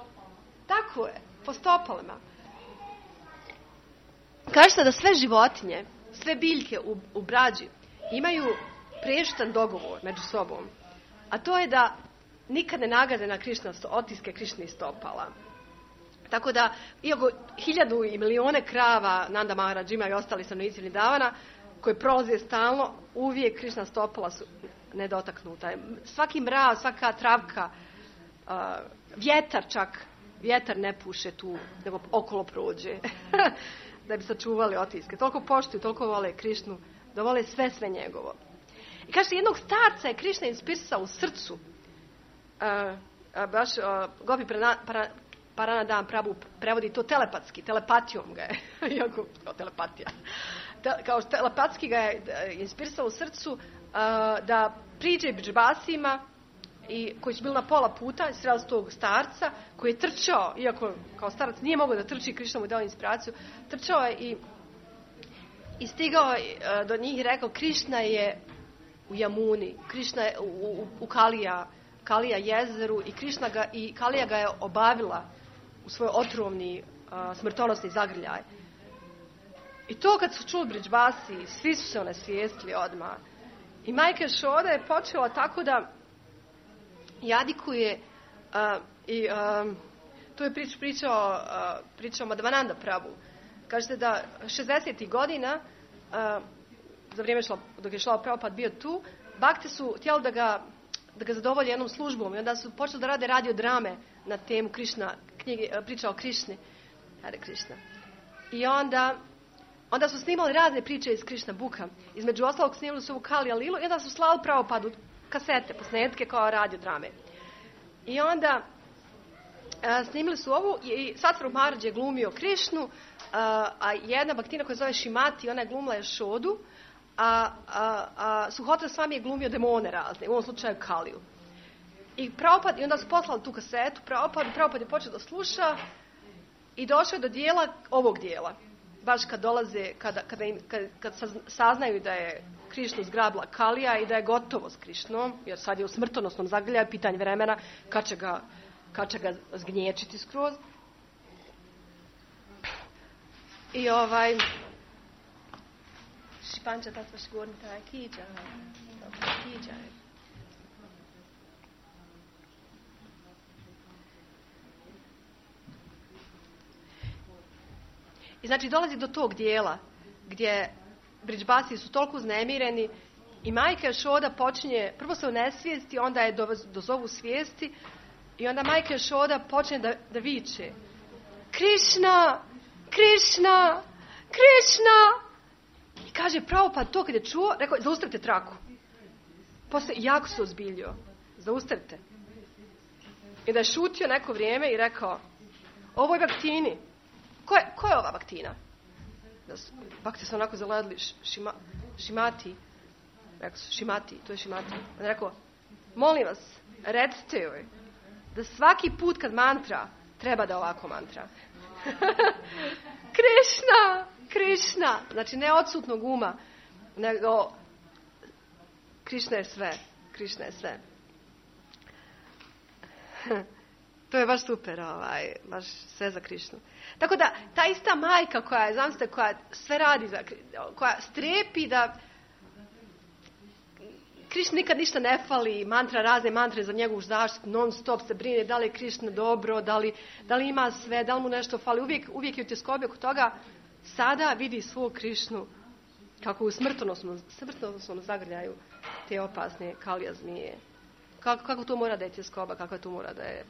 Tako je, po stopalima. Kaže se da sve životinje, sve biljke u brađi imaju prešitan dogovor među sobom. A to je da nikad ne nagaze na otiske Krišnih stopala. Tako da, iako 1000 i milijone krava Nanda Maharaj ima i ostali stanovnici Vrindavana, koji prolaze stalno, uvijek Krišna stopala su nedotaknuta. Svaki mraz, svaka travka, vjetar ne puše tu, nego okolo prođe. Da bi sačuvali otiske. Toliko poštuju, toliko vole Krišnu, da vole sve njegovo. I kaže, jednog starca je Krišna inspirisao u srcu Gopi Paranadam Prabhu prevodi to telepatski, telepatijom ga je, iako telepatija. Kao telepatski ga je inspirisalo u srcu da priđe Bridžbasima i koji su bili na pola puta, sreli tog starca koji je trčao, iako kao starac nije mogao da trči, Krišna mu je dao inspiraciju, trčao je i stigao do njih i rekao Krišna je u Jamuni, Krišna je u Kalija jezeru i Kalija ga je obavila u svoj otrovni smrtonosni zagrljaj. I to kad su čuli Bridžbasi, svi su se onesvijestili odmah. I majka Ješoda je počela tako da jadikuje tu je pričao Madhavananda Prabhu. Kažete da 60. godina za vrijeme dok je Šrila Prabhupada bio tu, bakte su htjeli da ga zadovolje jednom službom i onda su počeli da rade radiodrame na temu priča o Krišni. Hare Krišna. I onda su snimali razne priče iz Krišna Buka. Između ostalog snimali su ovu Kalija Lilu i onda su slali Prabhupadu kasete, posnetke kao radiodrame. I onda snimili su ovu i Sattvarup Maharaj je glumio Krišnu, a jedna baktina koja se zove Šimati, ona je glumila Ješodu, a Suhotra Swami je glumio demone razne, u ovom slučaju Kaliju. I onda su poslali tu kasetu Prabhupada je počeo da sluša i došao je do ovog dijela. Baš kad dolaze, kad saznaju da je Krišnu zgrabila Kalija i da je gotovo s Krišnom, jer sad je u smrtonosnom zagrljaju, pitanje vremena kad će ga zgnječiti skroz. I Šipanča Tatva Šgornita Kiđa. I znači dolazi do tog dijela gdje Bridžbasi su toliko uznemireni i majka Ješoda počinje, prvo se onesvijesti, onda je dozovu svijesti i onda majka Ješoda počne da viče Krišna, Krišna, Krišna. I kaže Prabhupada to kad je čuo, rekao zaustavite traku. Poslije jako se ozbiljio. Zaustavite. I da je šutio neko vrijeme i rekao ovoj baktini. Ko je ova baktina? Bakti su onako zaledili Šimati. Rekao su Šimati, to je Šimati. On je rekao, molim vas, recite joj da svaki put kad mantra, treba da ovako mantra. Krišna, Krišna. Znači ne odsutnog uma, nego Krišna je sve. Krišna je sve. To je baš super, baš sve za Krišnu. Tako da, ta ista majka koja sve radi, koja strepi da Krišna nikad ništa ne fali, razne mantre za njegovu zaštitu, non stop se brine da li je Krišna dobro, da li ima sve, da li mu nešto fali. Uvijek je u tjeskobi oko toga. Sada vidi svog Krišnu kako u smrtonosnom zagrljaju te opasne Kalija zmije. Kako to mora da je tjeskoba, kako to mora da je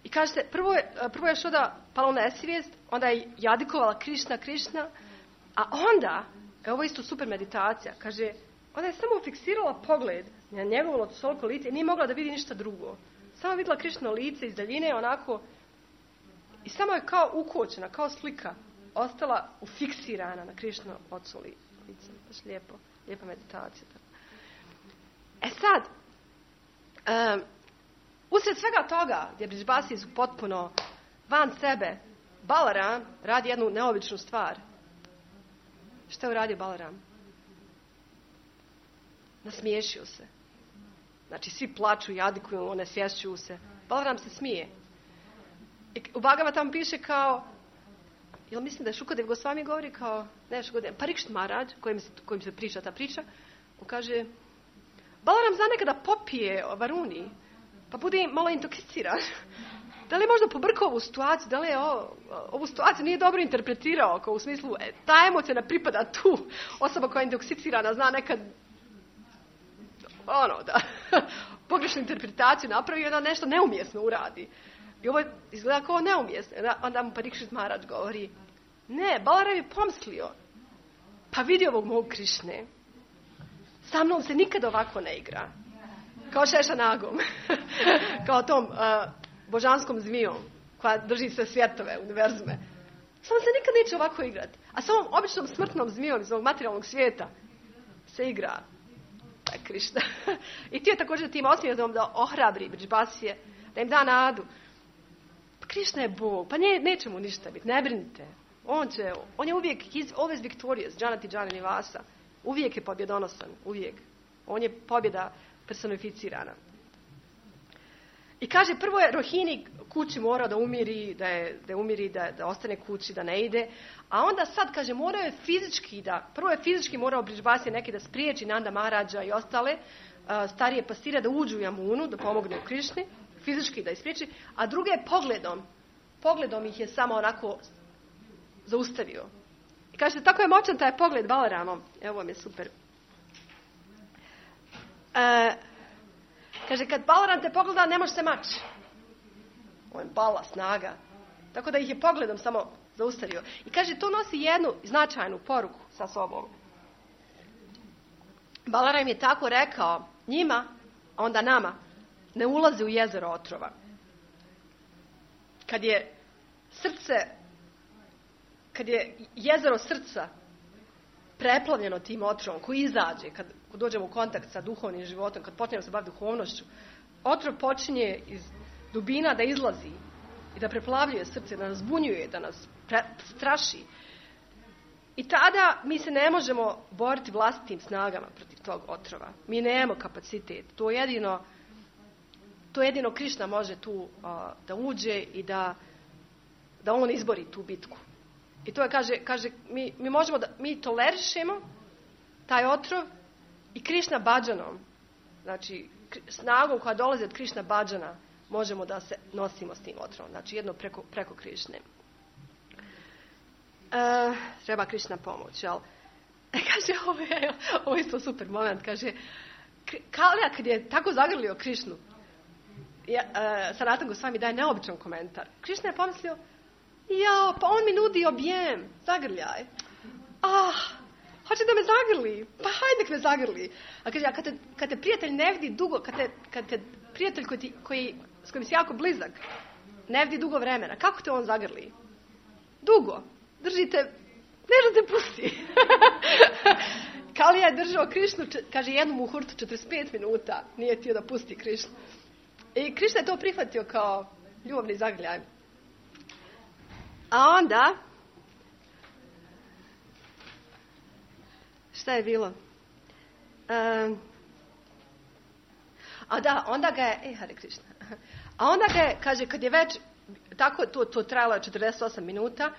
I kažete, prvo je Ješoda pala u nesvijest, onda je jadikovala Krišna, a onda, ovo je isto super meditacija, kaže, onda je samo fiksirala pogled na njegovo toliko lice i nije mogla da vidi ništa drugo. Samo vidjela Krišno lice iz daljine, onako, i samo je kao ukočena, kao slika, ostala ufiksirana na Krišno ocu lice. Baš lijepa meditacija. Sad, usred svega toga, gdje Bridžbasi su potpuno van sebe, Balaram radi jednu neobičnu stvar. Šta je uradio Balaram? Nasmiješio se. Znači, svi plaču, jadikuju, onesvješćuju se. Balaram se smije. I u Bhagavatam piše kao, jel mislim da je Šukadev Gosvami govori kao, ne Šukadev, Parikšit Maharaj, kojim se priča ta priča, on kaže, Balaram zna nekada popije varuni, pa bude malo intoksiciran. Da li je možda pobrkao ovu situaciju, da li je ovu situaciju nije dobro interpretirao, kao u smislu, ta emocija ne pripada tu. Osoba koja je intoksicirana zna nekad, da pogrešnu interpretaciju napravi i onda nešto neumjesno uradi. I ovo izgleda kao neumjesno. Onda mu Parikšit Maharaj govori, ne, Balaram je pomislio, pa vidi ovog mog Krišne, sa mnom se nikad ovako ne igra. Kao Šeša Nagom. Kao tom božanskom zmijom koja drži sve svjetove, univerzume. Samo se nikad neće ovako igrati. A sa ovom običnom smrtnom zmijom iz ovog materijalnog svijeta se igra Krišna. I ti je također tim osmijetom da ohrabri Bridžbasije, da im da nadu. Pa Krišna je Bog, pa neće mu ništa biti, ne brinite. On je uvijek, always victorious, Janati Jani Nivasa. Uvijek je pobjedonosan, uvijek. On je pobjeda personificirana. I kaže, prvo je Rohini kući morao da umiri, da ostane kući, da ne ide. A onda sad, kaže, prvo je fizički morao Bridžbasije neki da spriječi Nanda Maharađa i ostale starije pastire da uđu u Jamunu, da pomogne u Krišni, fizički da ispriječi, a druge je pogledom ih je samo onako zaustavio. I kaže, tako je moćan taj pogled Balaramom. Evo vam je super. Kaže, kad Balaram te pogleda, ne može se maći. On je bala, snaga. Tako da ih je pogledom samo zaustavio. I kaže, to nosi jednu značajnu poruku sa sobom. Balaram je tako rekao njima, a onda nama, ne ulazi u jezero otrova. Kad je jezero srca preplavljeno tim otrovom koji izađe, kad dođemo u kontakt sa duhovnim životom, kad počnemo se baviti duhovnošću, otrov počinje iz dubina da izlazi i da preplavljuje srce, da nas zbunjuje, da nas straši. I tada mi se ne možemo boriti vlastitim snagama protiv tog otrova. Mi nemamo kapacitet. To jedino Krišna može tu da uđe i da on izbori tu bitku. I to je, kaže mi možemo mi tolerišemo taj otrov i Krišna Bhajanom, znači snagom koja dolazi od Krišna Bhajana, možemo da se nosimo s tim otrovom. Znači jedno preko Krišne. Treba Krišna pomoć, jel? Kaže, ovo je isto super moment, kaže, Kalija kad je tako zagrlio Krišnu, Sanatan Gosvami daje neobičan komentar. Krišna je pomislio, pa on mi nudi objem, zagrljaj. Hoće da me zagrli, pa hajde nek me zagrli. A kaže, kad te prijatelj ne vidi dugo, kad te prijatelj s kojim si jako blizak, ne vidi dugo vremena, kako te on zagrli? Dugo. Držite, ne da te pusti. Kalija je držao Krišnu, kaže, jednu muhurtu 45 minuta, nije htio da pusti Krišnu. I Krišna je to prihvatio kao ljubavni zagrljaj. A onda, šta je bilo? Onda ga je, Hare Krišna. A onda ga je, kaže, kad je već, tako to trajalo je 48 minuta,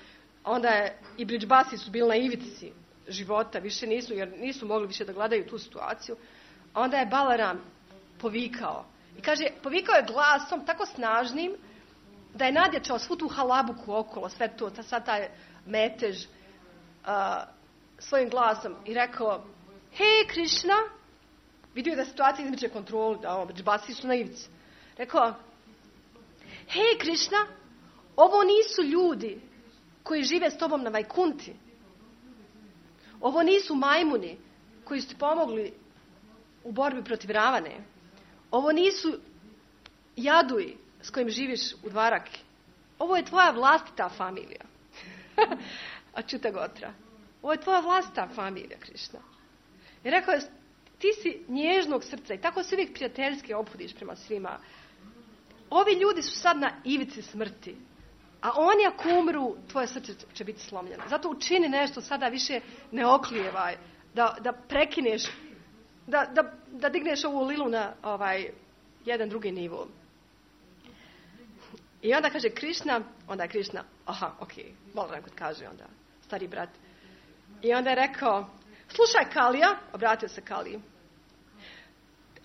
onda je i Bridžbasi su bili na ivici života, više nisu, jer nisu mogli više da gledaju tu situaciju. Onda je Balaram povikao. I kaže, povikao je glasom tako snažnim da je nadjačao svu tu halabuku okolo, sve to, sad taj metež svojim glasom i rekao, hej Krišna, vidio da situacija izmiče kontrolu, da Bridžbasi su na ivici. Rekao, hej Krišna, ovo nisu ljudi koji žive s tobom na Vajkunti. Ovo nisu majmuni koji su ti pomogli u borbi protiv Ravane. Ovo nisu jaduji s kojim živiš u Dvaraki. Ovo je tvoja vlastita familija. Ačuta Gotra. Ovo je tvoja vlastita familija, Krišna. I rekao je, ti si nježnog srca i tako se uvijek prijateljski ophodiš prema svima. Ovi ljudi su sad na ivici smrti. A oni ako umru, tvoje srce će biti slomljeno. Zato učini nešto, sada više ne oklijevaj. Da prekineš, da digneš ovu lilu na jedan drugi nivo. I onda kaže Krišna, onda je Krišna, Balaram kad kaže onda, stari brat. I onda je rekao, slušaj Kalija, obratio se Kaliji,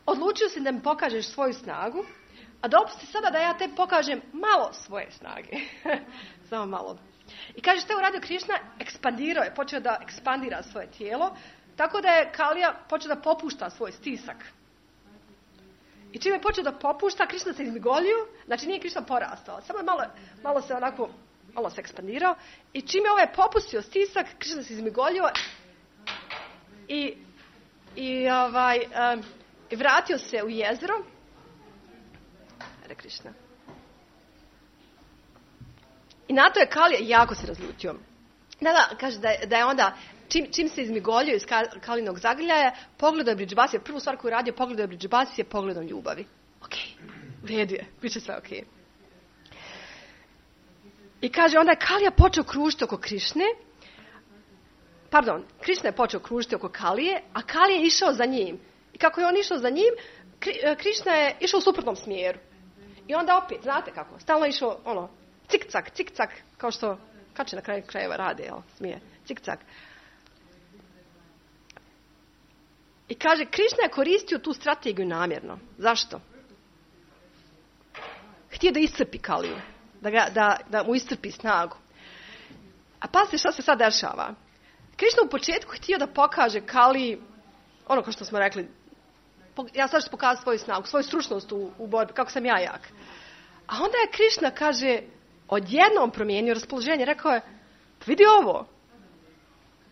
odlučio si da mi pokažeš svoju snagu, a dopusti sada da ja tebi pokažem malo svoje snage. Samo malo. I kaže što je uradio Krišna, ekspandirao je, počeo da ekspandira svoje tijelo, tako da je Kalija počeo da popušta svoj stisak. I čim je počeo da popušta, Krišna se izmigolio, znači nije Krišna porastao, samo je malo se ekspandirao i čim je ovaj popustio stisak, Krišna se izmigolio i I vratio se u jezero. Hare Krishna. I na to je Kalija jako se razljutio. Kaže da je onda, čim se izmigoljio iz Kalinog zagrljaja, pogledao je Bridžbasija. Prvu stvar koju radio, pogledao je Bridžbasija pogledom ljubavi. Ok, u redu je, bit će sve ok. I kaže, onda je Kalija počeo kružiti oko Krišne. Krišna je počeo kružiti oko Kalije, a Kalija je išao za njim. I kako je on išao za njim, Krišna je išao u suprotnom smjeru. I onda opet, znate kako, stalno išao, cik-cak, kao što kače na kraju krajeva rade, smije, cik-cak. I kaže, Krišna je koristio tu strategiju namjerno. Zašto? Htio da iscrpi Kaliju, da mu iscrpi snagu. A pazite šta se sad dešava. Krišna u početku htio da pokaže Kaliji, kao što smo rekli, ja sad ću pokazati svoju snagu, svoju stručnost u borbi, kako sam ja jak. A onda je Krišna, kaže, odjednom promijenio raspoloženje. Rekao je, vidi ovo.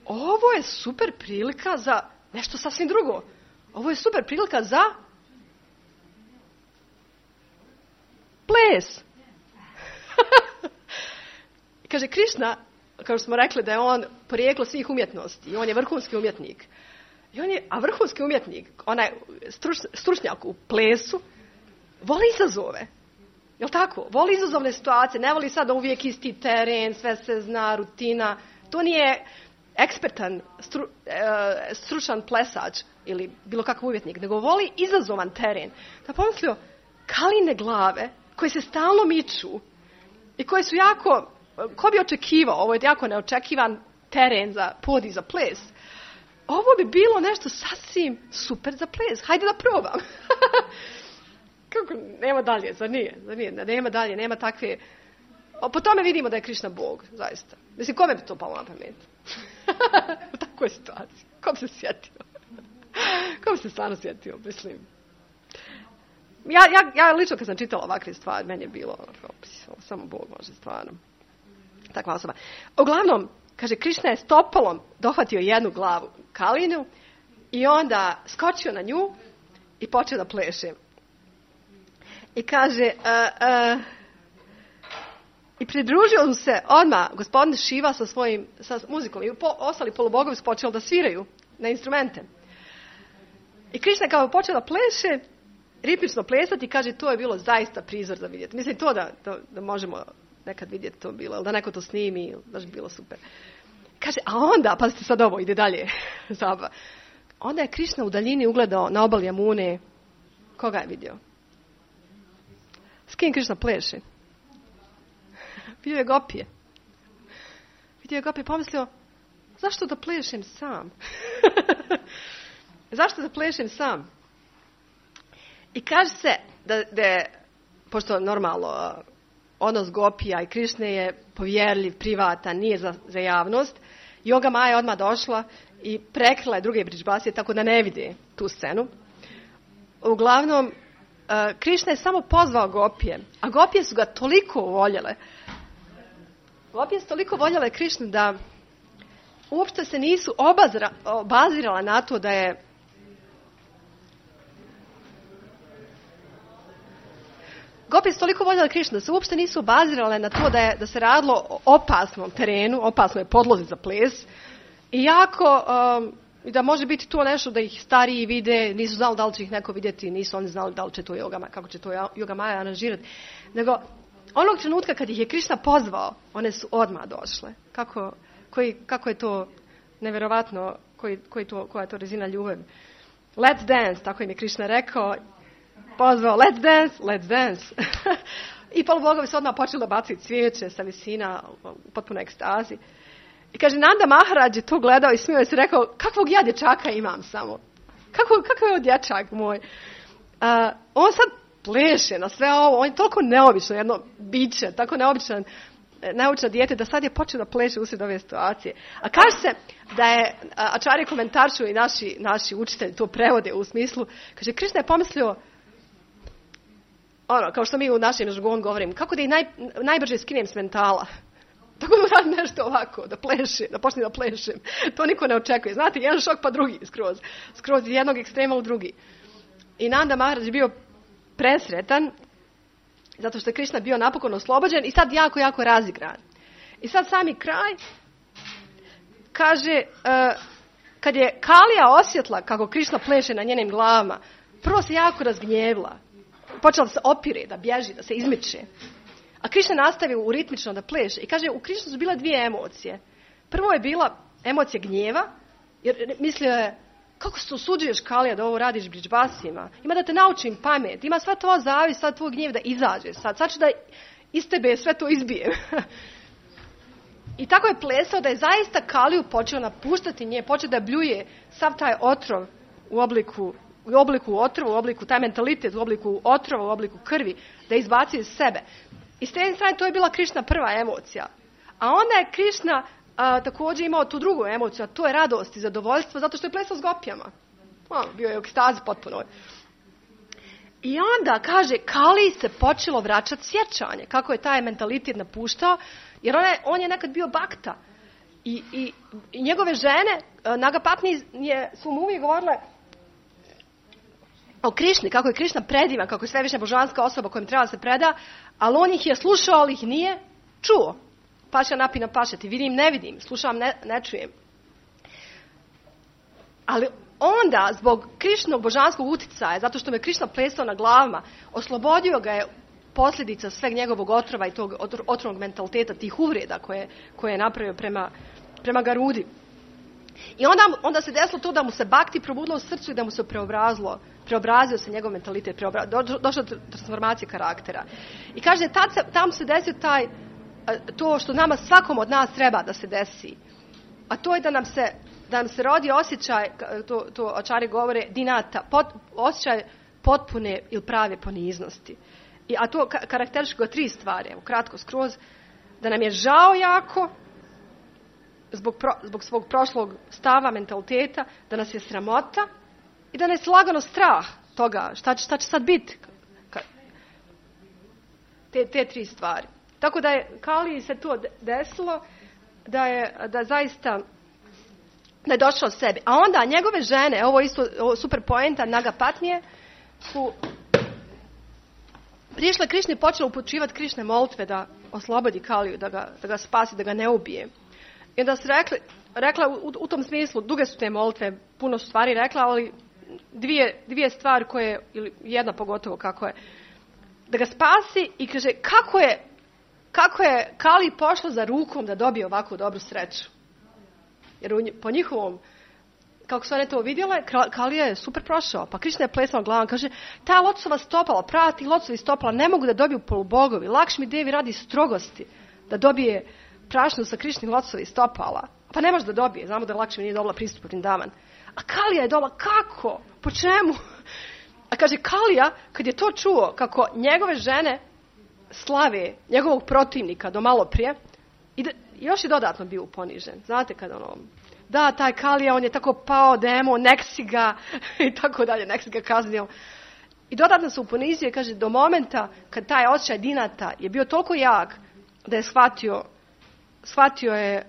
Ovo je super prilika za nešto sasvim drugo. Ovo je super prilika za ples. Kaže, Krišna, kao što smo rekli da je on porijeklo svih umjetnosti i on je vrhunski umjetnik. A vrhunski umjetnik, onaj stručnjak u plesu, voli izazove. Jel' tako? Voli izazovne situacije, ne voli sad uvijek isti teren, sve se zna, rutina. To nije ekspertan, stručan plesač ili bilo kakav umjetnik, nego voli izazovan teren. Da pomislio, Kaline glave koje se stalno miču i koje su jako, ko bi očekivao, ovo je jako neočekivan teren za podij za ples. Ovo bi bilo nešto sasvim super za ples. Hajde da probam. Kako, nema dalje, zar nije? Nema dalje, nema takve... Po tome vidimo da je Krišna Bog, zaista. Mislim, kome bi to palo na pamet? U takvoj situaciji. Ko bi se sjetio? Ko bi se stvarno sjetio, mislim. Ja lično kad sam čitala ovakve stvari, meni je bilo samo Bog može stvarno. Takva osoba. Uglavnom, kaže, Krišna je stopalom dohvatio jednu glavu Kalinu i onda skočio na nju i počeo da pleše. I kaže, i pridružio mu se odmah gospodin Šiva sa muzikom i ostali polubogovi su počeli da sviraju na instrumente. I Krišna kao počeo da pleše, ritmično plesati, kaže, to je bilo zaista prizor za vidjeti. Mislim, to da možemo nekad vidjeti to bilo, ili da neko to snimi, da bi bilo super. Kaže, a onda, pazite sad ovo, ide dalje. Onda je Krišna u daljini ugledao na obali Jamune. Koga je vidio? S kim Krišna pleše? Vidio je gopije. Pomislio, zašto da plešem sam? Zašto da plešem sam? I kaže se da je, pošto normalno odnos gopija i Krišne je povjerljiv, privatan, nije za javnost, Yoga Maja je odmah došla i prekrila je druge Bridžbasije tako da ne vide tu scenu. Uglavnom, Krišna je samo pozvao gopije, a gopije su ga toliko voljele. Gopije su toliko voljele Krišnu da uopšte se nisu obazirala na to da je Gopije su toliko voljele Krišnu da se uopšte nisu obazirale na to da se radilo o opasnom terenu, opasnoj podlozi za ples. I jako, da može biti to nešto da ih stariji vide, nisu znali da li će ih neko vidjeti, nisu oni znali da li će to kako će to Yoga Maja aranžirati. Nego, onog trenutka kad ih je Krišna pozvao, one su odmah došle. Kako je to nevjerovatno, koja je to razina ljubavi. Let's dance, tako im je Krišna rekao. Pozvao, let's dance. I polubogovi su odmah počeli da baciti cvijeće sa visina u potpuno ekstazi. I kaže, Nanda Maharaj je to gledao i smio je se rekao, kakvog ja dječaka imam samo? Kakav je ovo dječak moj? On sad pleše na sve ovo, on je toliko neobično jedno biće, tako neobično dijete da sad je počeo da pleše usred ove situacije. A kaže se da je, Ačarje komentaršu i naši učitelji to prevode u smislu, kaže, Krišna je pomislio, kao što mi u našem žargonu govorim, kako da ih najbrže skinem s mentala. Tako da radim nešto ovako, da počne da plešem. To niko ne očekuje. Znate, jedan šok pa drugi skroz iz jednog ekstrema u drugi. I Nanda Maharaj je bio presretan, zato što je Krišna bio napokon oslobođen i sad jako, jako razigran. I sad sami kraj kaže, kad je Kalija osjetla kako Krišna pleše na njenim glavama, prvo se jako razgnjevila. Počela da se opire, da bježi, da se izmiče. A Krišna nastavio u ritmično da pleše. I kaže, u Krišnu su bile dvije emocije. Prvo je bila emocija gnjeva, jer mislio je, kako se usuđuješ, Kalija, da ovo radiš bridžbasima? Ima da te naučim pamet, ima sva tvoja zavis, sva tvoj gnjev da izađe sad ću da iz tebe sve to izbijem. I tako je plesao da je zaista Kaliju počeo napuštati nje, počeo da bljuje sav taj otrov u obliku otrova, u obliku taj mentalitet, u obliku otrova, u obliku krvi, da izbaci iz sebe. I s te strane to je bila Krišna prva emocija. A onda je Krišna također imao tu drugu emociju, a to je radost i zadovoljstvo, zato što je plesao s gopijama. Bio je u ekstazi potpuno. I onda, kaže, Kaliji se počelo vraćati sjećanje, kako je taj mentalitet napuštao, jer on je nekad bio bakta. I njegove žene, Nagapatni su mu uvijek govorile o Krišni, kako je Krišna predivan, kako je svevišnja božanska osoba kojim treba se preda, ali on ih je slušao, ali ih nije čuo. Paša napina pašati, vidim, ne vidim, slušam, ne čujem. Ali onda, zbog Krišnog božanskog uticaja, zato što me Krišna plesao na glavama, oslobodio ga je posljedica sveg njegovog otrova i tog otrovnog mentaliteta, tih uvreda koje je napravio prema Garudi. I onda se desilo to da mu se bakti probudilo u srcu i da mu se preobrazio se njegov mentalitet, došla do transformacije karaktera. I kaže, tam se desio to što nama svakom od nas treba da se desi. A to je da nam se rodi osjećaj, to ačari govore, dinata, osjećaj potpune ili prave poniznosti. A to karakterišu ga 3 stvari, evo kratko skroz, da nam je žao jako zbog svog prošlog stava, mentaliteta, da nas je sramota i da nas je lagano strah toga šta će sad biti. Te 3 stvari. Tako da je Kaliji se to desilo, da zaista da je došao sebi. A onda njegove žene, ovo super poenta Nagapatnije, su prišle Krišni, počela upućivati Krišne molitve da oslobodi Kaliju, da ga spasi, da ga ne ubije. I onda su rekla u tom smislu, duge su te molitve, puno su stvari rekla, ali dvije stvari koje, ili jedna pogotovo kako je, da ga spasi i kaže kako je Kaliji pošlo za rukom da dobije ovakvu dobru sreću. Jer po njihovom, kako su one to vidjele, Kalija je super prošao. Pa Krišna je plesala glavom, kaže, ta lotosova stopala, prati lotosovi stopala, ne mogu da dobiju polubogovi. Lakšmi Devi radi strogosti da dobije prašnu sa Krišnih lotosovih stopala. Pa ne može da dobije, znamo da Lakšmi nije dobila pristup Vrindavan. A Kalija je dobila, kako? Po čemu? A kaže, Kalija, kad je to čuo, kako njegove žene slave njegovog protivnika do malo prije, još je dodatno bio ponižen. Znate kad da, taj Kalija, on je tako pao demon, nek si ga, i tako dalje, nek si ga kaznio. I dodatno se uponizio i kaže, do momenta kad taj osjećaj dinata je bio toliko jak, da je shvatio je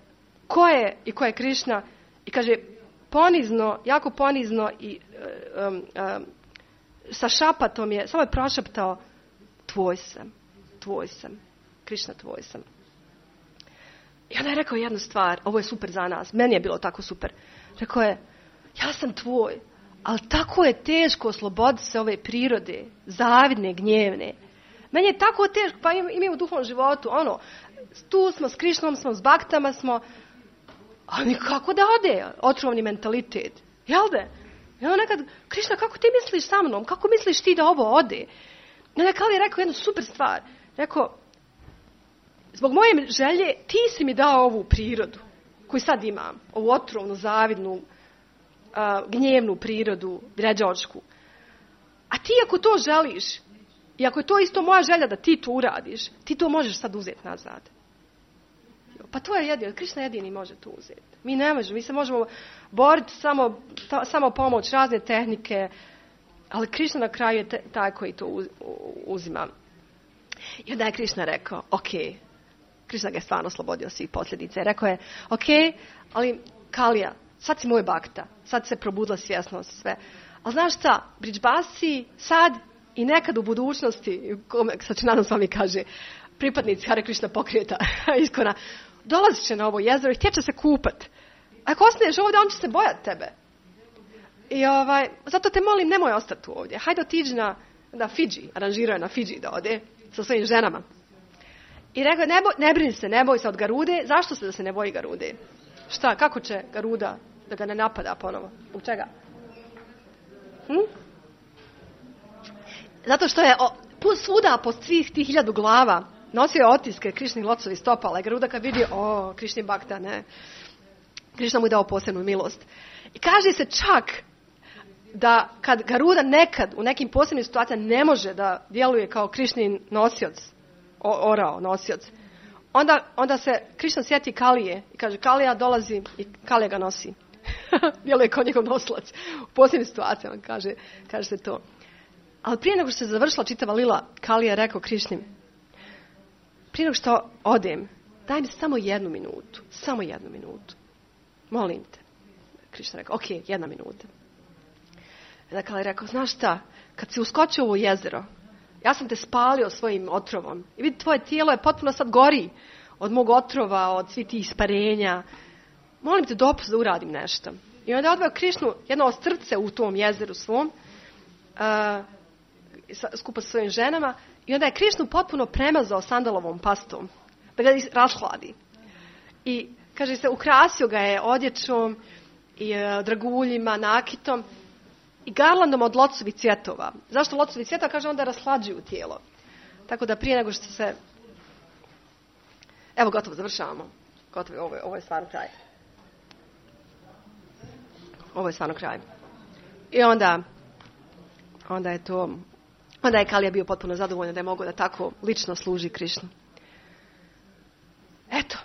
ko je Krišna i kaže, ponizno, jako ponizno i sa šapatom je, samo je prošaptao, tvoj sam, Krišna, tvoj sam. I onda je rekao jednu stvar, ovo je super za nas, meni je bilo tako super. Rekao je, ja sam tvoj, ali tako je teško osloboditi se ove prirode, zavidne, gnjevne. Meni je tako teško, pa i mi u duhovnom životu, tu smo s Krišnom, smo s baktama, ali kako da ode otrovni mentalitet? Jel da? I onda nekad, Krišna, kako ti misliš sa mnom? Kako misliš ti da ovo ode? I onda Kalija je rekao jednu super stvar. Rekao, zbog moje želje ti si mi dao ovu prirodu koju sad imam, ovu otrovnu, zavidnu, gnjevnu prirodu, vređačku. A ti ako to želiš, i ako je to isto moja želja da ti to uradiš, ti to možeš sad uzeti nazad. Pa to je jedino, Krišna jedini može to uzeti. Mi ne možemo, mi se možemo boriti samo pomoć, razne tehnike, ali Krišna na kraju je taj koji to uzima. I onda je Krišna rekao, ok, Krišna ga je stvarno oslobodio svih posljedica. Rekao je, ok, ali Kalija, sad si moj bakta, sad se probudila svjesnost sve, Ali znaš šta, Bridgebasi sad i nekad u budućnosti, Sačinanand Swami kaže, pripadnici Hare Krishna pokreta Iskona, dolazit će na ovo jezero i htjeće se kupat. Ako ostaneš ovdje, on će se bojati tebe. I zato te molim, nemoj ostati tu ovdje. Hajde otiđi na Fidži, aranžirao je na Fidži da ode sa svojim ženama. I rekao, ne brini se, ne boj se od Garude. Zašto se da se ne boji Garude? Šta, kako će Garuda da ga ne napada ponovo? U čega? Zato što je svuda po svih tih 1000 glava nosio je otiske Krišnih locovi stopala. I Garuda kad vidi, Krišni Bhakta, ne. Krišna mu je dao posebnu milost. I kaže se čak da kad Garuda nekad u nekim posebnim situacijama ne može da djeluje kao Krišnin nosioc, nosioc, onda se Krišna sjeti Kalije i kaže Kalija dolazi i Kalija ga nosi. Djeluje kao njegov nosilac. U posebnim situacijama kaže se to. Ali prije nego što se završila čitava lila, Kalija je rekao Krišnim, prije nego što odem, daj mi samo 1 minutu. Samo 1 minutu. Molim te. Krišna rekao, 1 minuta. I Kalija je rekao, znaš šta, kad si uskočio u ovo jezero, ja sam te spalio svojim otrovom. I vidi, tvoje tijelo je potpuno sad gori od mog otrova, od svih tih isparenja. Molim te dopust da uradim nešto. I onda je odveo Krišnu jedno ostrvce u tom jezeru svom, skupa sa svojim ženama, i onda je Krišnu potpuno premazao sandalovom pastom, da ga rashladi. I, kaže se, ukrasio ga je odjećom i draguljima, nakitom i garlandom od locovih cvjetova. Zašto locovi cvjetova? Kaže, onda rashlađuju tijelo. Tako da prije nego što se... Evo, gotovo, završavamo. Gotovo, ovo je stvarno kraj. Ovo je stvarno kraj. I onda je Kalija bio potpuno zadovoljan da je mogao da tako lično služi Krišnu. Eto,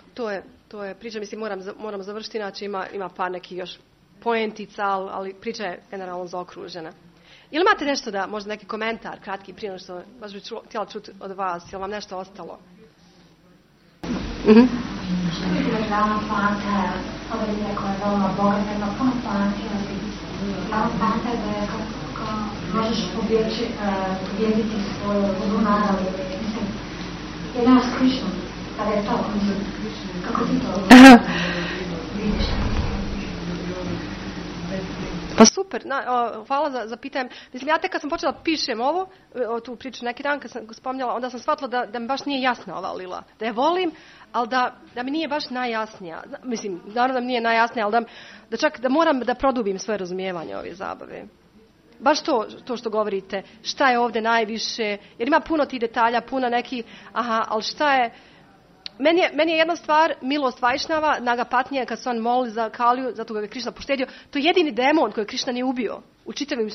to je priča, mislim, moram završiti, inače ima par nekih još poentica, ali priča je generalno zaokružena. Ili imate nešto da, možda neki komentar, kratki, prije što baš bih htjela čuti od vas, je li vam nešto ostalo? Glavna planta, ova linija koja je veoma bogata, ima puno planti, glavna planta je da je kako možeš pobjediti svoju vodu naravi, mislim, jedino s Krišnom, kada je to, kako ti to vidiš? Pa super, hvala za pitanje. Mislim, ja tek kad sam počela pišem tu priču neki dan kad sam ga spominjala, onda sam shvatila da mi baš nije jasna ova lila. Da je volim, ali da mi nije baš najjasnija. Mislim, naravno da mi nije najjasnija, ali da čak da moram da produbim svoje razumijevanje ove zabave. Baš to što govorite, šta je ovdje najviše, jer ima puno tih detalja, puno neki, ali šta je... Meni je jedna stvar, milost Vajšnava, Nagapatnija, kad se on moli za Kaliju, zato ga je Krišna poštedio, to je jedini demon koji Krišna nije ubio,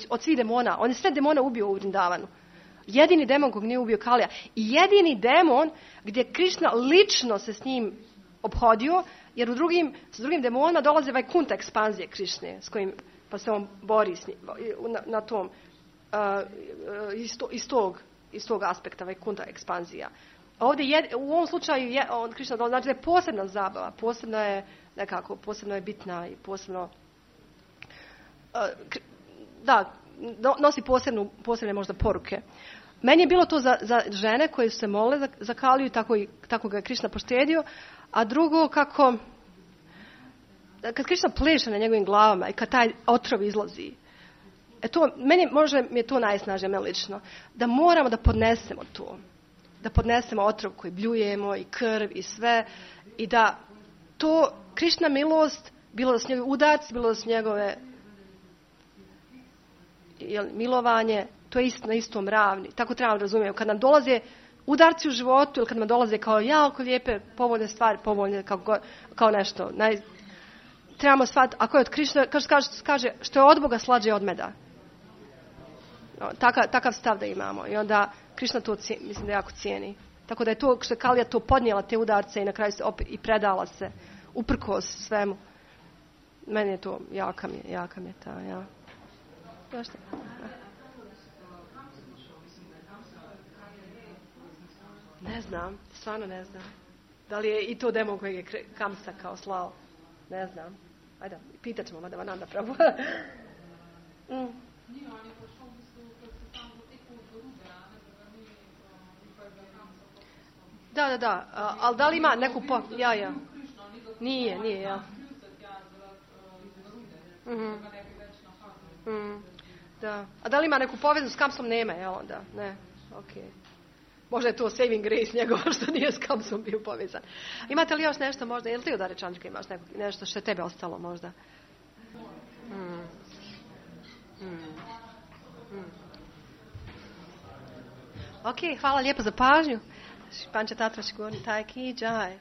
od svih demona. On je sve demona ubio u Vrindavanu. Jedini demon kog nije ubio Kalija. I jedini demon gdje Krišna lično se s njim obhodio, jer s drugim demonima dolaze Vajkunta ekspanzije Krišne, s kojim pa se on bori s njim, na tom, iz tog aspekta Vajkunta ekspanzija. Ovdje u ovom slučaju Krišna znači da je posebna zabava, posebno je bitna i posebno nosi posebne možda poruke. Meni je bilo to za žene koje su se mole za Kaliju, tako ga je Krišna poštedio, a drugo kad Krišna pleše na njegovim glavama i kad taj otrov izlazi, možda mi je to najsnažnije lično, da moramo da podnesemo to. Da podnesemo otrov koji bljujemo i krv i sve i da to Krišna milost, bilo da su njegove udarci, bilo da su njegove milovanje, to je na istom ravni. Tako trebamo razumjeti. Kad nam dolaze udarci u životu ili kad nam dolaze kao jako lijepe, povoljne stvari, povoljne kao nešto. Trebamo shvatiti, ako je od Krišna, kaže što je od Boga slađe od meda. Takav stav da imamo. I onda Krišna to mislim da jako cijeni. Tako da je to što je Kalija to podnijela te udarce i na kraju se opet i predala se uprkos svemu. Meni je to jaka mi je ta, ja. Zašto? Ne znam, stvarno ne znam. Da li je i to demon kojeg je Kamsa kao slao? Ne znam. Ajde, pitat ćemo Madhavananda Prabhu. Da, ali da li ima neku ja. Nije, ja. Da. A da li ima neku povezu s Kamsom? Nema, je onda? Ne, okej. Možda je to saving grace njegova što nije s Kamsom bio povezan. Imate li još nešto možda? Jel ti od Arečančka imaš nešto što je tebe ostalo možda? Ok, hvala lijepo za pažnju. Panča Tatraš Gorni Tajki, džaj.